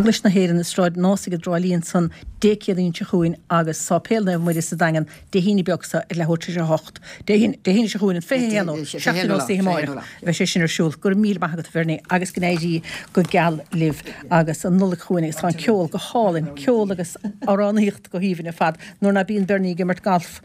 Eaglais na hÉireann i Sráid an Ásaigh i dTrá Lí ansan Dé Céadaoin seo chugainn agus Sáipéal Naomh Muire sa Daingean Dé hAoine beag seo ar leathuair tar éis a 8. Dé hAoine seo chugainn an 21 ó, seachtain ó istoíche amáireach a bheidh sé sin ar siúl. Go raibh míle maith agat a Bhernie agus go n-éirí go geal libh agus an Nollaig chugainn agus tá an ceol go hálainn, ceol agus amhránaíocht go haoibhinn ar fad. Nuair ná bíonn Bernie ag imirt galf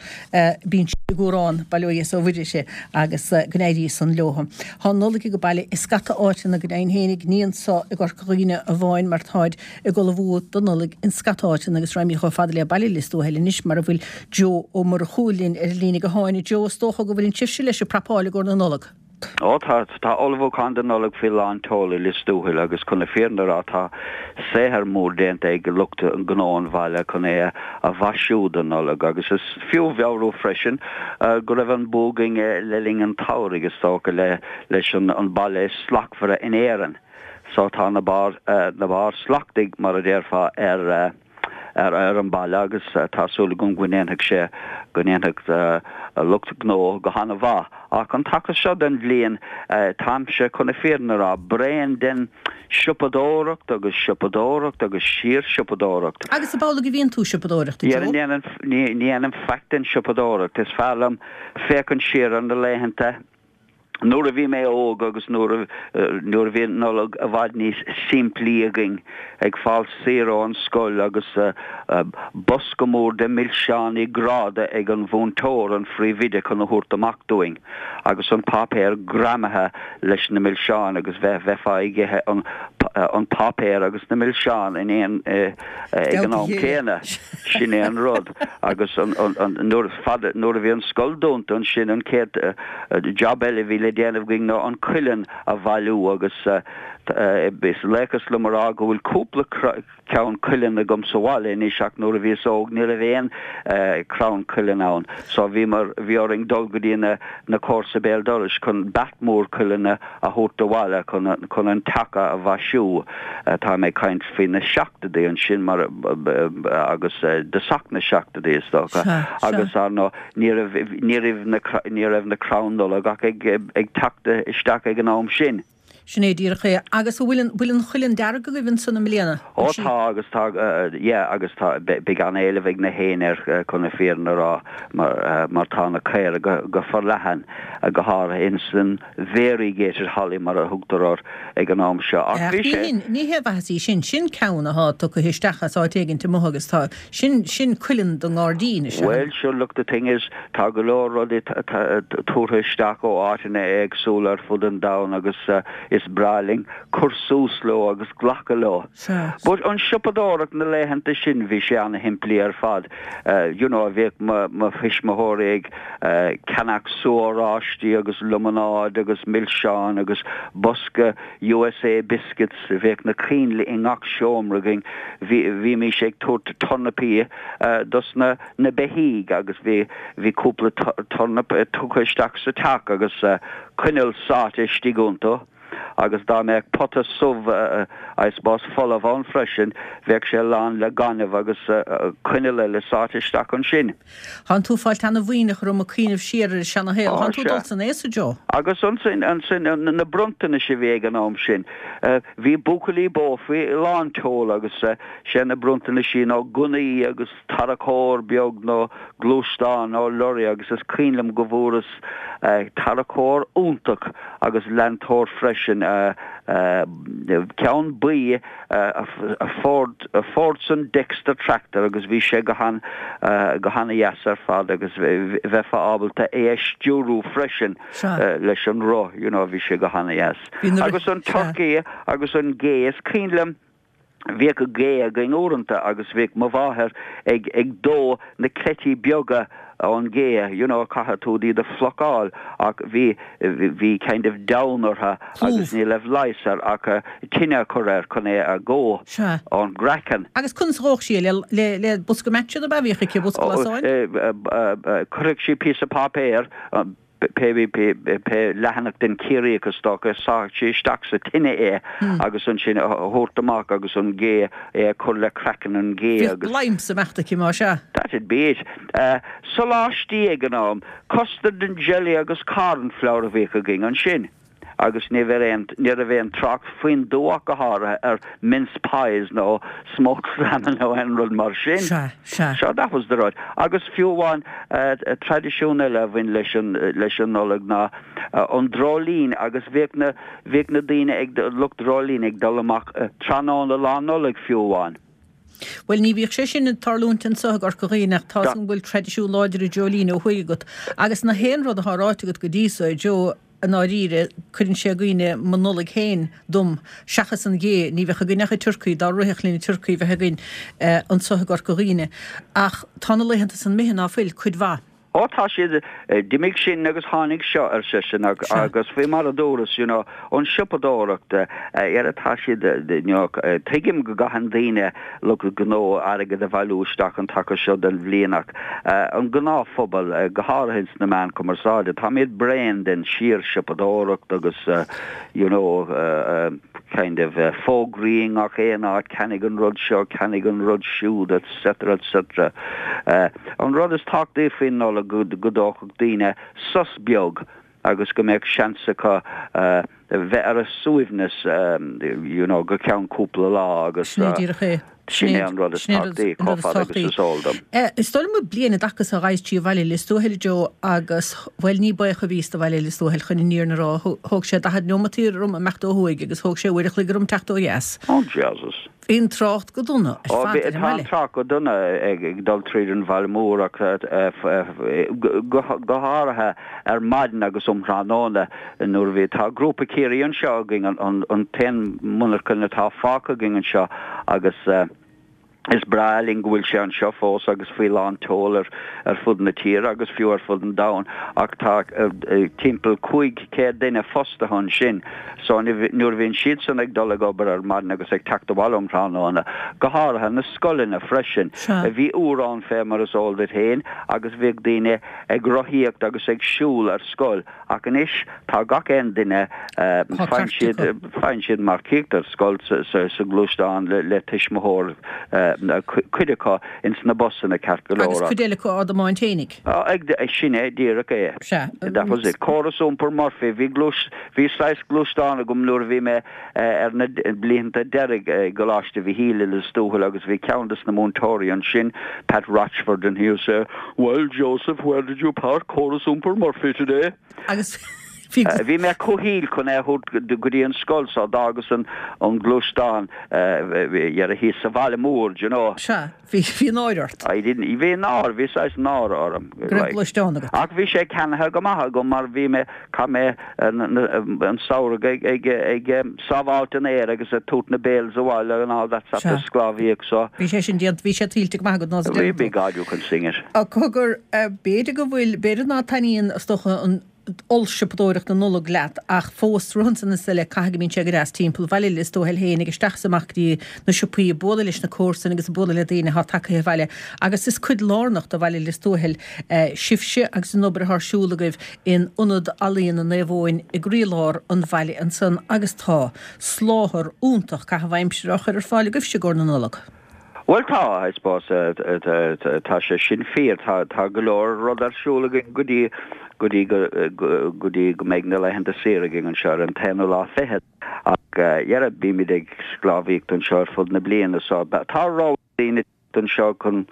bíonn sí ag amhrán, bail ó Dhia is ó Mhuire uirthi, agus go n-éirí san leo. Tá an Nollaig ag baile i scata áiteanna go deimhin fhéinig, ní anso i gCorca Dhuibhne amháin mar táid ag ullmhú don Nollaig in scata áiteanna agus raghaimid chomh fada le Baile Lios Tuathail anois mar a bhfuil Joe Ó Murchú linn ar an líne gutháin. A Joe, is dócha go bhfuileann sibhse leis ag prapáil i gcomhair na Nollag? Ó tá, tá ullmhúchán don Nollaig faoi lán tseoil i Lios Tuathail agus chun na fírinne a rá tá saothar mór déanta ag lucht gnó an bhaile chun é a mhaisiú don Nollaig agus is fiú a mheabhrú freisin go raibh an bua againn le linn an tsamhraidh is dócha le leis an baile is slachtmhaire in Éirinn. So tá na barr, na barr slachtaithe mar a déarfá ar. ar an baile agus tá súil agam go ndéanfaidh sé, go ndéanfaidh lucht gnó go han-mhaith. Ach an taca seo den bhliain, táimse, chun na fírinne a rá, bréan den siopadóireacht agus siopadóireacht agus síor-siopadóireacht. Agus ab amhlaidh a bhíonn tú ag siopadóireacht, a Joe? Ní dhéanaim faic den siopadóireacht. Is fearr liom féachaint siar ar na laethanta nuair a bhí mé óg agus nuair a nuair a bhí an Nollaig i bhfad níos simplí againn, ag fáil saor ón scoil agus bosca mór de milseáin gráda ag an mhúinteoir, an phríomhoide, chun a thabhairt amach dúinn agus an páipéar greamaithe leis na milseáin agus bheith bheifeá ag ithe an an páipéar agus na milseáin in aon ag an am céanna. Sin é an rud. Agus an, an, an, nuair, fad, nuair a bhí an scoil dúnta ansin an chéad jab eile a bhí le déanamh againn ná an cuileann a bhailiú agus is laochas liom a rá go bhfuil cúpla ceann cuileann agam sa bhaile anois ach nuair a bhíos óg ní raibh aon crann cuileann ann so bhíomar, bhí orainn dul go dtí na, na comharsa béal dorais chun beart mór cuileanna a thabhairt abhaile chun, chun an teach a mhaisiú. Tá mé ag caint faoi na seachtóidí ansin mar agus dtosach na seachtóidí is dócha agus ar ndóigh ní raibh, ní raibh na, ní raibh na crainn Nollag ach ag, ag teacht isteach ag an am sin. Sin é díreach é. Agus an bhfuil an, bhfuil an chuileann dearg agaibh ansan i mbliana? Ó tá agus tá, yeah agus tá, beidh an-éileamh ag na héin air chun na fírinne a rá mar, mar tá na caora go, go forleathan, go háirithe ins an variegated holly mar a thugtar air ag an am seo. Ach bhí sé. Ní hé mhaitheas í sin, sin ceann athá tugtha isteach as áit éigint amuigh agus tá, sin, sin cuileann don ngairdín is ea. Bhuel, sure, look, the thing is, tá go leor rudaí tabhartha isteach ó áiteanna éagsúla ar fud an domhain agus is breá linn cur suas leo agus glacadh leo. But an siopadóireacht na laethanta sin, bhí sé ana-shimplí ar fad. You know, bhíodh mo, mo thuismitheoirí ag ceannach sú oráistí agus liomanáid agus milseáin agus bosca USA biscuits, bhíodh na coinnle i ngach seomra againn, bhí, bhímís ag tabhairt tornapaí dos na, na beithígh agus bhí, bhí cúpla tornap tugtha isteach sa teach agus coinneal sáite istigh iontu. Agus dá mbeadh pota subh, I suppose, folamh ann freisin, bheadh sé lán le gaineamh agus coinneal eile sáite isteach ansin. Thánn tú ag fáilt ana-mhaoithneach orm ag cuimhneamh siar ar an seana-shaol. Thánn tú ag dul san aos, a Joe. Agus ansin, ansin, na bronntanais a bhí ag an am sin. Bhí buachaillí bó faoi lán tseoil agus sé na bronntanaisí ná gunnaí agus tarracóir beag nó gluaisteán nó lorry agus is cuimhin liom go bhfuaireas tarracóir iontach agus leantóir freisin, ceann buí Ford, Fordson Dexter tractor agus bhí sé go han, go han-dheas ar fad agus bheifeá ábalta é a stiúrú freisin leis an roth, you know, bhí sé go han-dheas. Agus an turcaí agus an gé, is cuimhin liom, Bhíodh gé againn uaireanta agus bhíodh mo mháthair ag ag dó na cleití beaga ón gé, you know, caithfidh tú iad a phlucáil ach bhí bhí kind of down orthu agus ní raibh leigheas air ach tine a chur air chun é a dhó ón gcraiceann. Agus conas a dhódh sí é? Le le le bosca matches ab ea a bhíodh aici, bosca lasáin? Chuirfeadh sí píosa páipéir pé leathanach den Ciarraíoch is dócha, sáfadh sí isteach sa tine é agus ansin a thabhairt amach agus an gé, é a chur le craiceann an ghé agus. Bhíodh bladhm sa mbeacht aici, más ea. That'd be it. Soláistí ag an am, custard and jelly agus cornflour a bhíodh againn ansin. agus ní raibh aon, ní raibh aon trácht faoin dtuath ach go háirithe ar mince pies nó smoked salmon nó aon rud mar sin. Sea, sea. So that was the rud. Agus fiú amháin, traidisiún eile a bhain leis an, leis an Nollaig ná an dreoilín agus bhíodh na, bhíodh na daoine ag, lucht dreoilín ag dul amach tráthnóna Lá Nollag fiú amháin. Bhuel, ní bhíodh sé sin ag tarlúint anso i gCorca Dhuibhne ach tá's agam go bhfuil traidisiún láidir an dreoilín ó thuaidh agat. Agus na haon rud atá ráite agat go dtí so, a Joe, i ndáiríre, cuireann sé i gcuimhne mo Nollaig féin dom, seachas an ghé, ní bheadh againn ach an turcaí, dá rithfeadh linn an turcaí a bheith againn anso i gCorca Dhuibhne. Ach tá na laethanta san imithe, ná fuil, cuid mhaith. Ó tá siad, d'imigh sin agus tháinig seo, ar seisean, agus faoi mar a dúras, you know, an siopadóireacht, ar tá siad, you know, tuigim go gcaitheann daoine, lucht gnó, airgead a bhailiú isteach an taca seo den bhliain ach an gnáthphobal, go háirithe ins na meáin chumarsáide, táimid bréan den síor-siopadóireacht agus, you know. kind of fógraí i ngach aon áit, ceannaigh an rud seo, ceannaigh an rud siúd etc etc. An rud is tábhachtaí faoin Nollaig go dtógfadh daoine sos beag agus go mbeadh seans acu bheith ar a suaimhneas you know go ceann cúpla lá agus Sin é díreach é. sin é an rud is tábhachtaí chomh fada agus is eol dom. Is dóigh liom bliain i dtaca so ghabhas trí bhaile Lios Tuathail a Joe agus, bhuel ní baoch a bhíos do bhaile Lios Tuathail chun an fhírinne a rá. Thóg sé 40 neomataí orm imeacht ó thuaidh agus thóg sé uair a chloig orm teacht ó dheas. Oh Jesus. Bhí an trácht go dona ar Ó, fad bhí, ar an tá an mbaile. trácht go dona ag dul tríd an bhaile mór ach go háirithe ar maidin agus um thráthnóna nuair a bhí, tá Grúpa Ciarraí anseo againn, an t-aon monarchan atá fágtha againn anseo agus is breá linn go bhfuil sé anseo fós agus faoi lán tseoil ar ar fud na tíre agus fiú ar fud an domhain ach tá timpeall 500 duine fostaithe ansin. So nuair a bhíonn siadsan ag dul ag obair ar maidin agus ag teacht abhaile um thráthnóna, go háirithe na scoileanna freisin, bhí uair ann fé mar is eol duit féin agus bhíodh daoine ag rothaíocht agus ag siúl ar scoil ach anois tá gach aon duine, faigheann siad, faigheann siad marcaíocht ar scoil sa ghluaisteán le tuismitheoir, cuid acu ins na busanna ceart go leor. Agus cuid eile acu á dtiomáint fhéinig. Ag, sin é díreach é. Sea. That was it. Córas iompair Murphy, bhí gluais, bhí saghas gluaisteán agam nuair a bhí mé ar na blianta deiridh i gColáiste Mhichíl i Lios Tuathail agus bhí ceann des na múinteoirí ansin, Pat Rochford, and he would say, Well, Joseph, where did you park Córas iompair Murphy today? Agus bhí. Bhí mé cúthail chun é a thabhairt go dtí an scoil so d'fhágas an gluaisteán dhera thíos sa bhaile mór, do you know. Sea. Bhí, bhí náire ort. I didn't, bhí náire, bhí saghas náire orm. Go raibh gluaisteán agat. Ach bhí sé ceannaithe go maith agam mar bhí mé, chaith mé an samhradh ag, ag, ag sábháilt an fhéir agus ag tabhairt na bales abhaile and all that sort of sclábhaíocht so. Bhí sé sin déanta, bhí sé tuillte go maith agat ná sa Bhí, by God you can sing it. Cogar, b'fhéidir go bhfuil, b'fhéidir ná taitníonn, is dócha, an ollsiopadóireacht na Nollag leat ach fós rud ansan is eile caithfidh go mbíonn sé go deas timpeall Bhaile Lios Tuathail féin ag isteach is amach go dtí na siopaí ag bualadh leis na comharsain agus ag bualadh le daoine atá tagtha abhaile agus is cuid lárnach de Bhaile Lios Tuathail sibhse agus an obair atá ar siúl agaibh in Ionad Ealaíona Naomh Eoin i gcroílár an bhaile ansan agus tá soláthar iontach caitheamh aimsire á chur ar fáil agaibhse i gcomhair na Nollag. Bhuel tá, I suppose, tá sé sin fíor. Tá, tá go leor rud ar siúl againn go dtí, go dtí go, go dtí go mbeidh na laethanta saoire againn anseo ar an t-aonú lá fichead. Ach dhera, bímid ag sclábhaíocht anseo ar fud na bliana so tá rogha daoine teacht anseo chun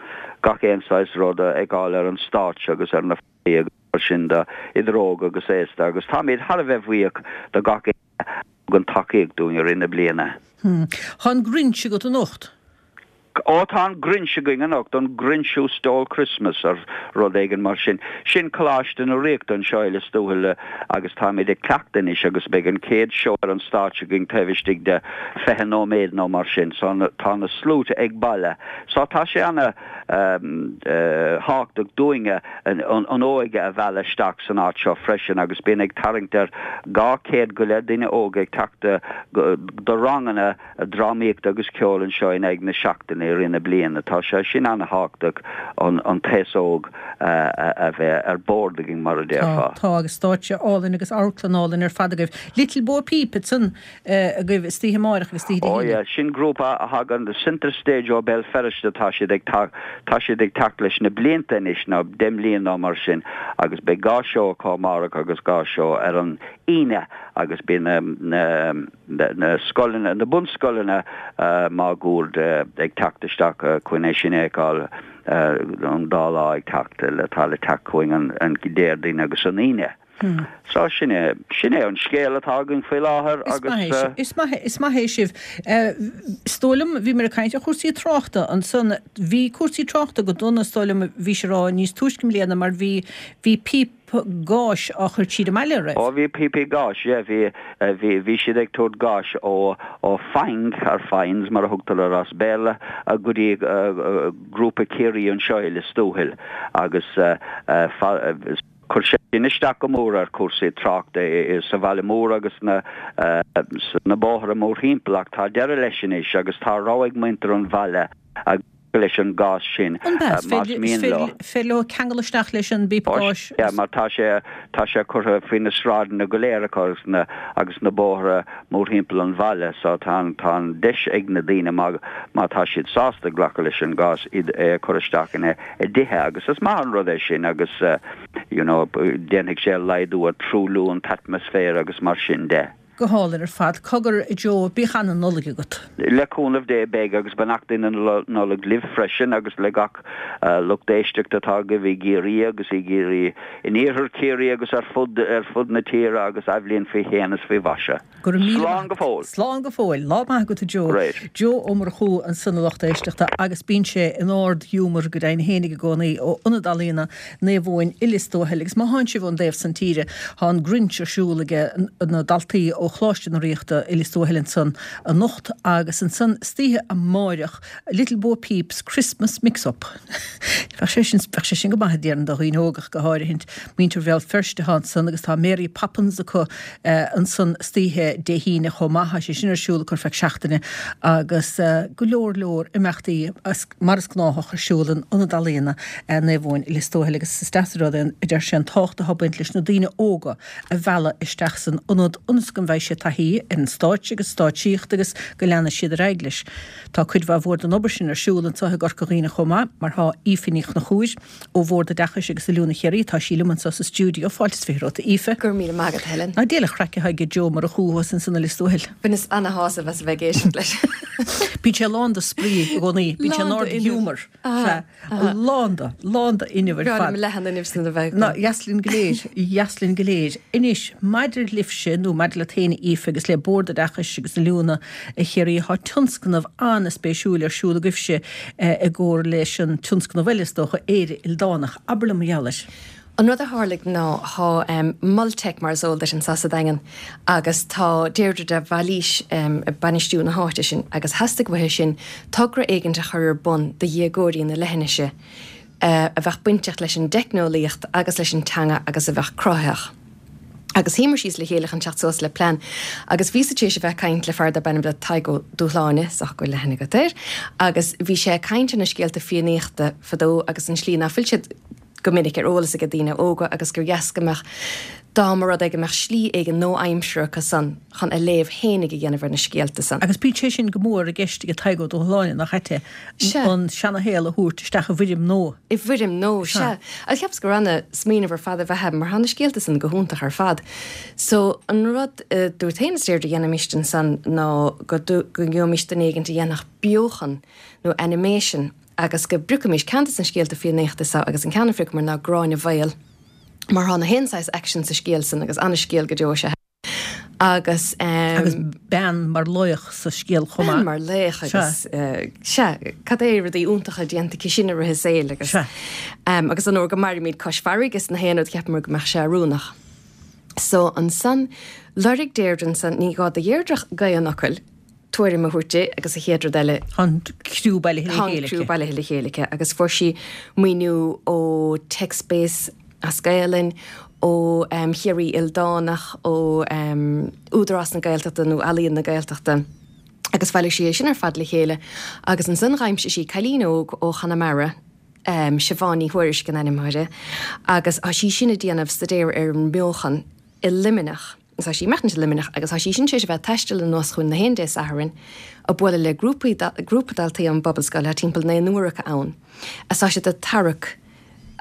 gach aon saghas rud a fheiceáil ar an stáitse agus ar na fallaí agus mar sin de, idir óg agus aosta agus táimid thar a bheith bhuíoch do gach éinne a thugann tacaíocht dúinn i rith na bliana. Tá an Grinch agat anocht? Ó, tá an Grinch againn anocht, an Grinch Who Stole Christmas or rud éigin mar sin. Sin Coláiste na Ríochta anseo i Lios Tuathail agus táimid ag cleachtadh anois agus beidh an chéad seó ar an stáitse againn taobh istigh de 20 nóiméad nó mar sin. So tá na sluaite ag baile. So tá sé ana thábhachtach dúinne an óige a mhealladh isteach san áit seo freisin agus bíonn ag tarraingt ar 200 go leith duine óg ag teacht do ranganna drámaíochta agus ceoil anseo in aghaidh na seachtaine i rith na bliana. Tá sé sin an-thábhachtach an t-aos óg a bheith ar bord againn mar a déarfá. Tá, tá agus stáitse álainn agus amharclann álainn ar fad agaibh. Little Bo Peep ansan agaibh istoíche amáireach agus istoíche Dé Oh hAoine. yeah, sin grúpa a thagann Centre Stage ó Béal Feirste, tá siad ag tá siad ag teacht leis na blianta anois, nó 10 mbliana nó mar sin, agus beidh dhá seó acu amárach agus dhá seó ar an Aoine agus bíonn na na na scoileanna, na bunscoileanna máguaird ag teacht isteach chun é sin a fheiceáil an dá lá ag teacht, atá le teacht chugainn an Déardaoin agus an Aoine. So sin é, sin é an scéal atá againn faoi láthair agus. Is maith é, is maith, is maith é sibh. Is dóigh liom, bhíomar ag caint ar chúrsaí tráchta ansan, bhí cúrsaí tráchta go dona, is dóigh liom, bhís ag rá níos túisce i mbliana mar bhí, bhí píopa gáis á chur tríd an mbaile, an raibh? Ó bhí píopaí gáis, yeah, bhí, bhí, bhí siad ag tabhairt gáis ó, ó Faing, or Fines mar a thugtar air as Béarla, go dtí Grúpa Ciarraí anseo i Lios Tuathail agus Chuir sé sin isteach go mór ar chúrsaí tráchta sa bhaile mór agus sna bóithre mórthimpeall ach tá deireadh leis anois agus tá rogha ag muintir an bhaile. leis an gás sin más mian leo. An féidir leo ceangal isteach leis an bpíopa gáis? Yeah, mar tá sé, tá sé curtha faoi na sráideanna go léir acu agus na, agus na bóithre mórthimpeall an bhaile so tá an, tá an deis ag na daoine má, má tá siad sásta glacadh leis an gás iad, é a chur isteach ina dtithe agus is maith an rud é sin agus you know déanfaidh sé laghdú ar truailliú an t-atmaisféar agus mar sin de. Go hálainn ar fad. Cogar, a Joe, bíodh ana-Nollaig agat. Le cúnamh Dé beidh, agus beannachtaí na Nollag libh freisin agus le gach lucht éisteachta atá agaibh i gCiarraí agus i gCiarraí, in iarthar Chiarraí agus ar fud ar fud na tíre agus athbhliain faoi shéan is faoi mhaise. Go raibh míle Slán go fóill. Slán go fóill. Lá maith agat a Joe. Great. Joe Ó Murchú ansan a lucht éisteachta agus bíonn sé in ard-ghiúmar go deimhin fhéinig i gcónaí ó Ionad Ealaíona Naomh Eoin i Lios Tuathail agus má thánn sibh ón dtaobh san tíre tá an Grinch ar siúl aige na daltaí ó Choláiste na Ríochta i Lios Tuathail ansan anocht agus ansan istoíche amáireach Little Bo Peep's Christmas Mix Up. Bheadh sé sin bheadh sé sin go maith déarfainn do dhaoine óga ach go háirithint. Muintir Bhéal Feirste atá ansan agus tá Mary Poppins acu ansan istoíche Dé hAoine chomh maith. Tá sé sin ar siúl acu ar feadh seachtaine agus go leor leor imeachtaí mar is gnáthach ar siúl in Ionad Ealaíona Naomh Eoin i Lios Tuathail agus is deas an rud é a deir sé an tábhacht atá ag baint leis na daoine óga a mhealladh isteach san ionad ionas go mbeidh siad taithí ar an stáitse agus stáitsíocht agus go leanfaidh siad ar aghaidh leis. Tá cuid mhaith mhór den obair sin ar siúl anseo i gCorca Dhuibhne chomh maith mar tá Aoife Ní Chonchúir ó Bhord Oideachais agus Oiliúna Chiarraí, tá sí liom anseo sa stiúideo. Fáilte is 20 romhat, a Aoife. Go raibh míle maith agat, Helen. Ná diail an chraic atá ag Joe Ó Murchú thuas ansan i Lios Tuathail. Bhaineas ana-shásamh as a bheith ag éisteacht leis. Bíonn sé lán de spraoi i gcónaí, bíonn sé in ard-ghiúmar. Sea, lán de, lán de fhuinneamh ar fad. B'fhearr liom leath an fhuinnimh sin a bheith agam. Ná, dheas linn go léir, dheas linn go léir. Anois, maidir libhse, nó maidir leat féin, a Aoife, agus le Bord Oideachais agus Oiliúna Chiarraí, tá tionscnamh an-spéisiúil ar siúl agaibhse i gcomhar leis an tionscnamh eile, is dócha, Éire Ildánach. Abair liom mar gheall air. An rud a tharlaigh ná tá Mol Teic mar is eol duit anso sa Daingean agus tá Deirdre de Bhailís ag bainistiú na háite sin agus theastaigh uaithi sin togra éigint a chur ar bun do dhéagóirí na leithinise a bheadh bainteach leis an dteicneolaíocht agus leis an teanga agus a bheadh cruthaitheach. Agus shuíomar síos le chéile chun teacht suas le plean agus bhíos-sa tar éis a bheith ag caint le fear darb ainm do Tadhg Ó Dúshláine, is dócha go bhfuil aithne agat air, agus bhí sé ag caint ar na scéalta Fiannaíochta fadó agus an slí ná fuil siad go minic ar eolas ag daoine óga agus gur dheas go mbeadh, dá mba rud é go mbeadh slí éigin nua-aimseartha acu san chun a léamh fhéinig a dhéanamh ar na scéalta san. Agus bíonn sé sin go mór i gceist ag Tadhg Ó Dúshláine, nach ait é, an seana-shaol a thabhairt isteach i bhfoirm nua. I bhfoirm nua, sea. Agus cheapas gur ana-smaoineamh ar fad ab ea é mar tá na scéalta san go hiontach ar fad. So, an rud a dúirt féin is Deirdre a dhéanfaimis ansan ná go ngeobhaimis duine éigint a dhéanfadh beochan nó animation agus go bpriocfaimis ceann de na scéalta Fiannaíochta seo agus an ceann a phriocamar ná Gráinne Mhaol mar thá na haon saghas aicsean sa scéal san agus ana-scéal go deo is ea é agus. Agus bean mar laoch sa scéal chomh maith. Bean mar laoch agus sea, cad é rudaí iontacha déanta aici sin i rith a saoil agus agus an uair go mairimid cois farraige is na haon rud cheapamar go mbeadh sé oiriúnach. So ansan lorg Deirdre ansan, ní gá do Dheirdre ach gaoth an fhocail, tuairim a thabhairt di agus an chéad rud eile. Tá an criú bailithe le chéile aici. Tá an criú bailithe le chéile aici agus fuair sí maoiniú ó TechSpace as Gaelainn, ó Chiarraí Ildánach, ó Údarás na Gaeltachta nó Ealaíon na Gaeltachta agus bhailigh sí é sin ar fad le chéile agus ansan dh'aimsigh sí cailín óg ó Chonamara, Siobhán Ní Thuairisg an ainm uirthi, agus tá sí sin ag déanamh staidéar ar an mbeochan i Luimneach. Tá sí ag maireachtaint i Luimneach agus tá sí sin tar éis a bheith ag taisteal anuas chugainn na haon Dé Sathairn ag bualadh le grúpaí grúpa daltaí ón bPobalscoil, tá timpeall naonúr acu ann, agus tá siad ag tarrac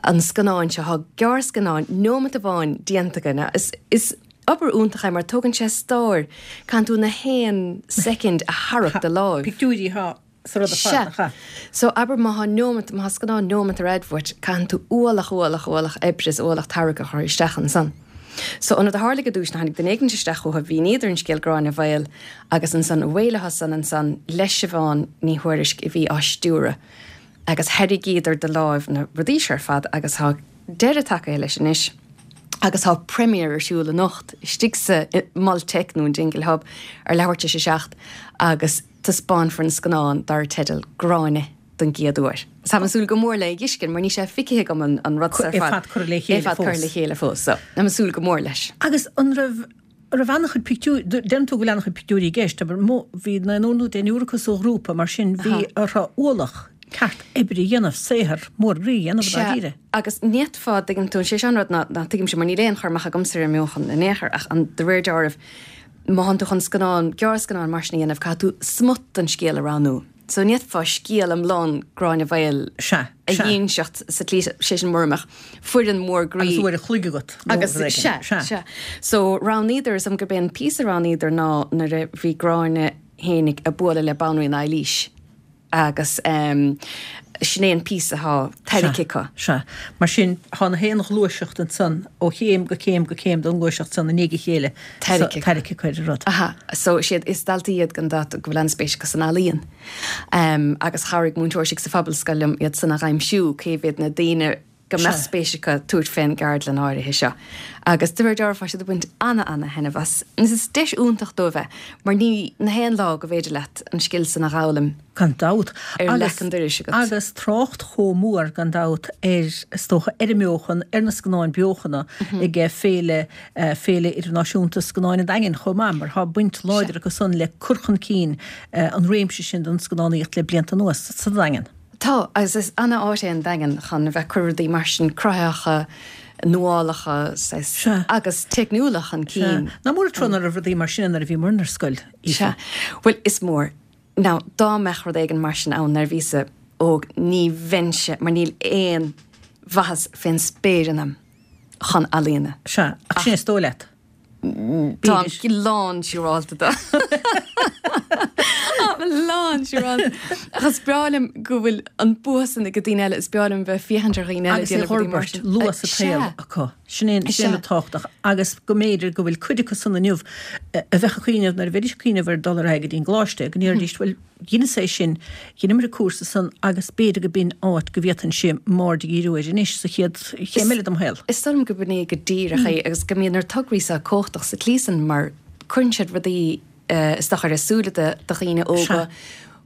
an scannáin seo. Tá gearrscannán neomat amháin déanta againn. Is is obair iontach é mar tógann sé stór, caitheann tú na haon soicind a tharrac de láimh. Pictiúirí atá sa rud ar fad, nach ea? So, abair má thá neomat, má thá scannán neomat ar fhad uait, caitheann tú ualach, ualach, ualach oibre is ualach tarrac a chur isteach ansan. So, an rud a tharlaigh i dtús ná tháinig duine éigint isteach chucu, mhíníodar an scéal Gráinne Mhaol agus ansan away leo san ansan le Siobhán Ní Thuairisg a bhí á stiúradh agus tharraingíodar de láimh na rudaí seo ar fad agus thá deireadh tagaithe leis anois agus thá premiere ar siúl anocht istigh sa Mol Teic nó an Dingle Hub ar leathuair tar éis a 7 agus Taispeánfar an scannán dar teideal Gráinne don gcéad uair. Táim ag súil go mór le é a fheiscint mar níl sé feicthe agam an rud seo ar fad. É fad curtha le chéile fós. É fad curtha le chéile fós. So, táim ag súil go mór leis. Agus an raibh, an raibh an-chuid pictiúr, deireann tú go bhfuil an-chuid pictiúirí i gceist, abair, bhí naonúr nó deichniúr acu sa ghrúpa, mar sin bhí orthu ualach. Ceart oibre a dhéanamh, saothar mór groí a dhéanamh dáiríre. Sea, agus ní fhéadfá, dtuigeann tú, sé seo an rud ná ná tuigimse, mar níl aon chur amach agamsa ar an mbeochan in aon chor, ach an, de réir dealraimh, má thánn tú chun scannán, gearrscannán mar sin a dhéanamh, caithfidh tú smut den scéal a roghnú. So ní fhéadfá scéal iomlán Gráinne Mhaol Sea, a sea. dh'inseacht sa tslí, sé sin mura mbeadh foireann mhór groí. Agus uair a chloig agat nó Agus, rud éigin. sea, Sea. sea. So roghnaíodar, is dóigh liom gurb é an píosa a roghnaíodar ná nuair a bhí Gráinne fhéinig ag bualadh le Banríon Eilís. Agus sin é an píosa atá tairgthe acu. Sea. Mar sin, tá na haon ghluaiseacht ansan, ó chéim go céim go céim den ghluaiseacht san i ndiaidh a chéile, tairgthe acu ar an rud. Aha. So, is iad, is daltaí iad gan dabht go bhfuil an-spéis acu san ealaíon. Agus chabhraigh múinteoir istigh sa Phobalscoil liom iad san a dh'aimsiú, cé mhéad na daoine go mbeadh spéis acu tabhairt fén gceardlann áirithe seo. Agus de réir dealraimh tá siad ag baint ana-ana-thaitneamh as. Agus is deis iontach dóibh é, mar ní na haon lá go bhféidir leat an scil san a dh'fhoghlaim Gan dabht. ar leac an dorais agat. Agus trácht chomh mór, gan dabht, ar, is dócha, ar an mbeochan, ar na scannáin beochana ag Féile, Féile Idirnáisiúnta Scannáin an Daingin chomh maith, mar tá baint láidir acu san le cur chun cinn an réimse sin den scannánaíocht le blianta anuas sa Daingean. Tá, agus is ana-áit é an Daingean chun a bheith ag cur rudaí mar sin cruthaitheacha, nuálacha, saghas, agus teicniúla chun cinn. Sea. Nach mór an trua nach raibh rudaí mar sin ann nuair a bhíomar ar scoil, Aoife. Sea. Bhuel, is mór. Now, dá mbeadh rud éigin mar sin ann nuair a bhíos-sa óg, ní bheinnse, mar níl aon mhaitheas fén spéir ionam chun ealaíona. Sea, ach sin é is dóigh leat. Táim lán siúrálta de. Táim lán siúrálta. Ach is breá liom go bhfuil an bua san ag daoine eile, is breá liom bheith ag féachaint ar dhaoine eile ag déanamh rudaí mar sin. Agus é a fhorbairt luath sa tsaol acu. Sin é sin an tábhachtach. Agus go mb'fhéidir go bhfuil cuid acu san inniu a bheadh ag cuimhneamh nuair a bheidís ag cuimhneamh ar dul ar aghaidh go dtí an gcoláiste, go ndéarfaidís, bhuel, Dheineas é sin, dheineamar an cúrsa san agus b'fhéidir go b'in áit go bhféadfainnse m'aird a dhíriú air anois sa chéad chéim eile dem shaol. Is dóigh liom go b'in é go díreach é agus go mbíonn na tograí seo cumhachtach sa tslí san mar cuireann siad rudaí isteach ar a súile do dhaoine óga.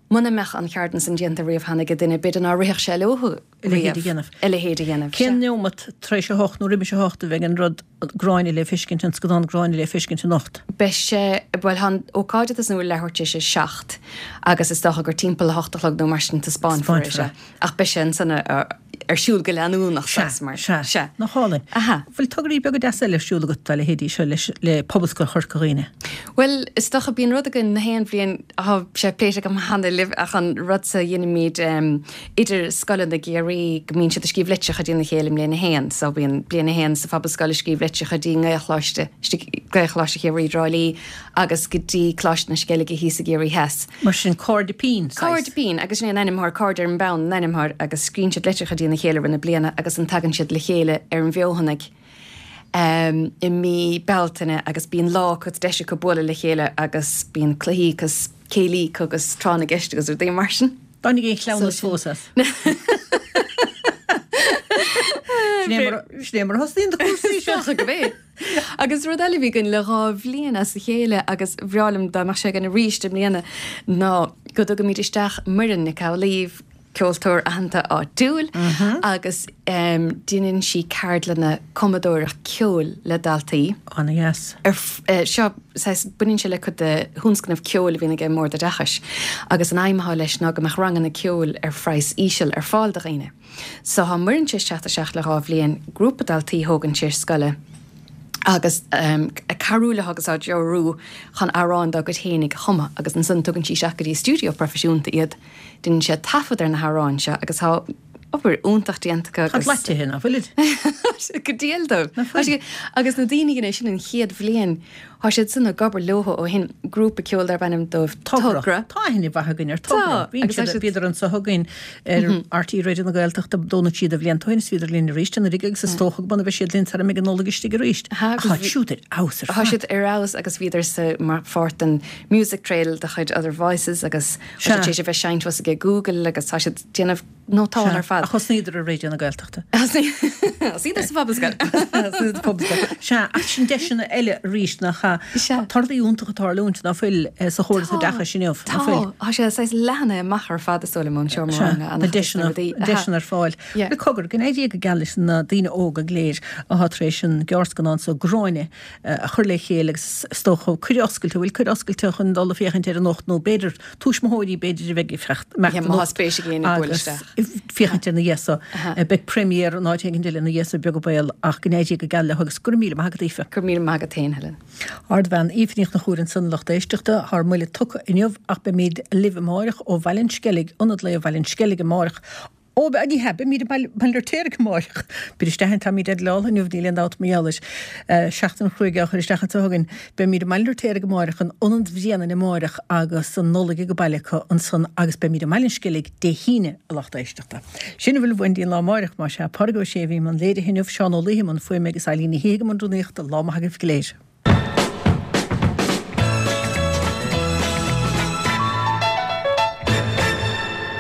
Muna mbeadh an cheardlann san déanta riamh cheana ag duine b'fhéidir ná rithfeadh sé leo a leithéid a dhéanamh. A leithéid a dhéanamh. Cén neomat tar éis a hocht nó roimis a hocht a bheidh an rud Gráinne le feiscint, an scannán Gráinne le feiscint anocht? Beidh sé, bhuel tá an ócáid ag tosnú leathuair tar éis a 7 agus is dócha gur timpeall a hocht a chlog nó mar sin taispeánfar é, sea. Ach beidh sé ansan ar siúl go leanúnach saghas mar, sea. Sea. Nach álainn. Aha. Bhfuil tograí beaga deasa eile ar siúl agat dá leithéidí seo leis, le Pobalscoil Chorca Dhuibhne? Bhuel, is dócha, bíonn rud againn na haon bhliain, tá sé pléite agam cheana libh ach an rud so a dheinimid idir scoileanna i gCiarraí go mbíonn siad ag scríobh litreacha dtína chéile i mbliain a haon. So bíonn bliain a haon sa Phobalscoil ag scríobh litreacha dtí nGaelcholáiste, Gaelcholáiste Chiarraí i dTrá Lí agus go dtí Coláiste na Sceilge thíos i gCiarraí Theas. Mar sin, Cairde Pinn, saghas. Cairde Pinn, agus sin é an ainm atá air, Cairde ar an bPeann an ainm atá air agus scríonn siad litreacha dtína chéile i rith na bliana agus ansan tagann siad le chéile ar an bhFeothanaigh. i mí Bealtaine agus bíonn lá acu, deis acu bualadh le chéile agus bíonn cluichí agus céilí agus tráth na gceist agus rudaí mar sin. Dtáinig aon chleamhnas fós as? Sin é mar a thosnaíonn na cúrsaí seo. Is dócha gurb é. Agus rud eile a bhí againn le dhá bhliain as a chéile agus bhreá liom dá mbeadh sé againn arís i mbliana ná go dtugaimid isteach Muireann Nic Amhlaoibh, ceoltóir aitheanta áitiúil agus deineann sí ceardlanna cumadóireacht ceoil le daltaí. Ana-dheas. Seo, saghas, baineann sé le cuid de thionscnamh ceoil a bhíonn ag an mBord Oideachais agus an aidhm atá leis ná go mbeadh ranganna ceoil ar phraghas íseal ar fáil do dhaoine. So tá Muireann tar éis teacht isteach le dhá bhliain, grúpa daltaí a thógann sí ar scoile agus ag cabhrú leo agus á dtreorú chun amhráin dá gcuid fhéinig a chumadh agus ansan tugann sí isteach go dtí stiúideo proifisiúnta iad. Déanann siad taifead ar na hamhráin seo agus tá obair iontach déanta acu agus. Tá siad leathtaithe, nach bhfuilid? Go diail dóibh. Nach bhfuil? Agus na daoine a dhein é sin an chéad bhliain, tá siad san ag obair leo ó shin, grúpa ceoil darb ainm dóibh Togra. Togra. Tá aithne mhaith againn ar Togra. Tá. Bhíonn siad, bhíodar anso chugainn ar RTÉ Raidió na Gaeltachta Domhnach Síoda blianta ó shin is bhíodar linn arís anuraidh agus is dócha go mbeidh siad linn sara mbeidh an Nollaig istigh arís. Ach tá siúd ar fheabhas ar fad. Tá siad ar fheabhas agus bhíodar sa, mar pháirt den Music Trail de chuid Other Voices agus tá siad tar éis a bheith seinnte thuas ag Google agus tá siad déanamh. nótáil ar fad. Ach thosnaíodar ar Raidió na Gaeltachta. Thosnaíodar sa Phobalscoil. Thosnaíodar sa Phobalscoil. Sea, ach sin deiseanna eile arís nach ea? Sea. Tá rudaí iontacha ag tarlúint ná fuil sa chóras oideachais inniu, ná fuil? Tá. Tá sé saghas leathnaithe amach ar fad is dóigh liom ón seomra Sea, ranga, na an-chuid de na deiseanna, rudaí. deiseanna ar fáil. Yeah. Bhuel, cogar, go n-éirí go geal leis na daoine óga go léir atá tar éis an gearrscannán so, Gráinne, a chur le chéile agus is dócha cuireadh oscailte, bhfuil cuireadh oscailte chun dul ag féachaint air anocht nó b'fhéidir tuismitheoirí b'fhéidir a bheidh ag imeacht Yeah, má tá spéis ag éinne buail agus isteach. féachaint ina dhiaidh so. Beidh premiere in áit éigin eile ina dhiaidh so beag an baol ach go n-éirí go geal leo agus go raibh míle maith agat Aoife. Go raibh míle maith agat féin, Helen. Ardbhean Aoife Ní Chonchúir ansan lucht éisteachta, tá ár mbuille tugtha inniu ach beimid libh amáireach ó Bhaile an Sceilg, Ionad Lae Bhaile an Sceilg amáireach. Ó, ní hea, beimid i mBaile an Fheirtéaraigh amáireach. Beir isteach an táimid ar leall inniu, níl aon dabht mar gheall air. Seachtain chruaidh á chur isteach anseo againn. Beimid i mBaile an Fheirtéaraigh amáireach, in Ionad Bhréanainn amáireach agus an Nollaig ag baile acu ansan agus beimid i mBaile an Sceilg Dé hAoine, a lucht éisteachta. Sin a bhfuil uainn go dtí an lá amáireach, más ea. Pádraig Ó Sé a bhí i mbun léirithe inniu, Seán Ó Laoithe i mbun fuaime agus Eileen Ní Shíthigh i mbun rúnaíochta. Lá maith agaibh go léir.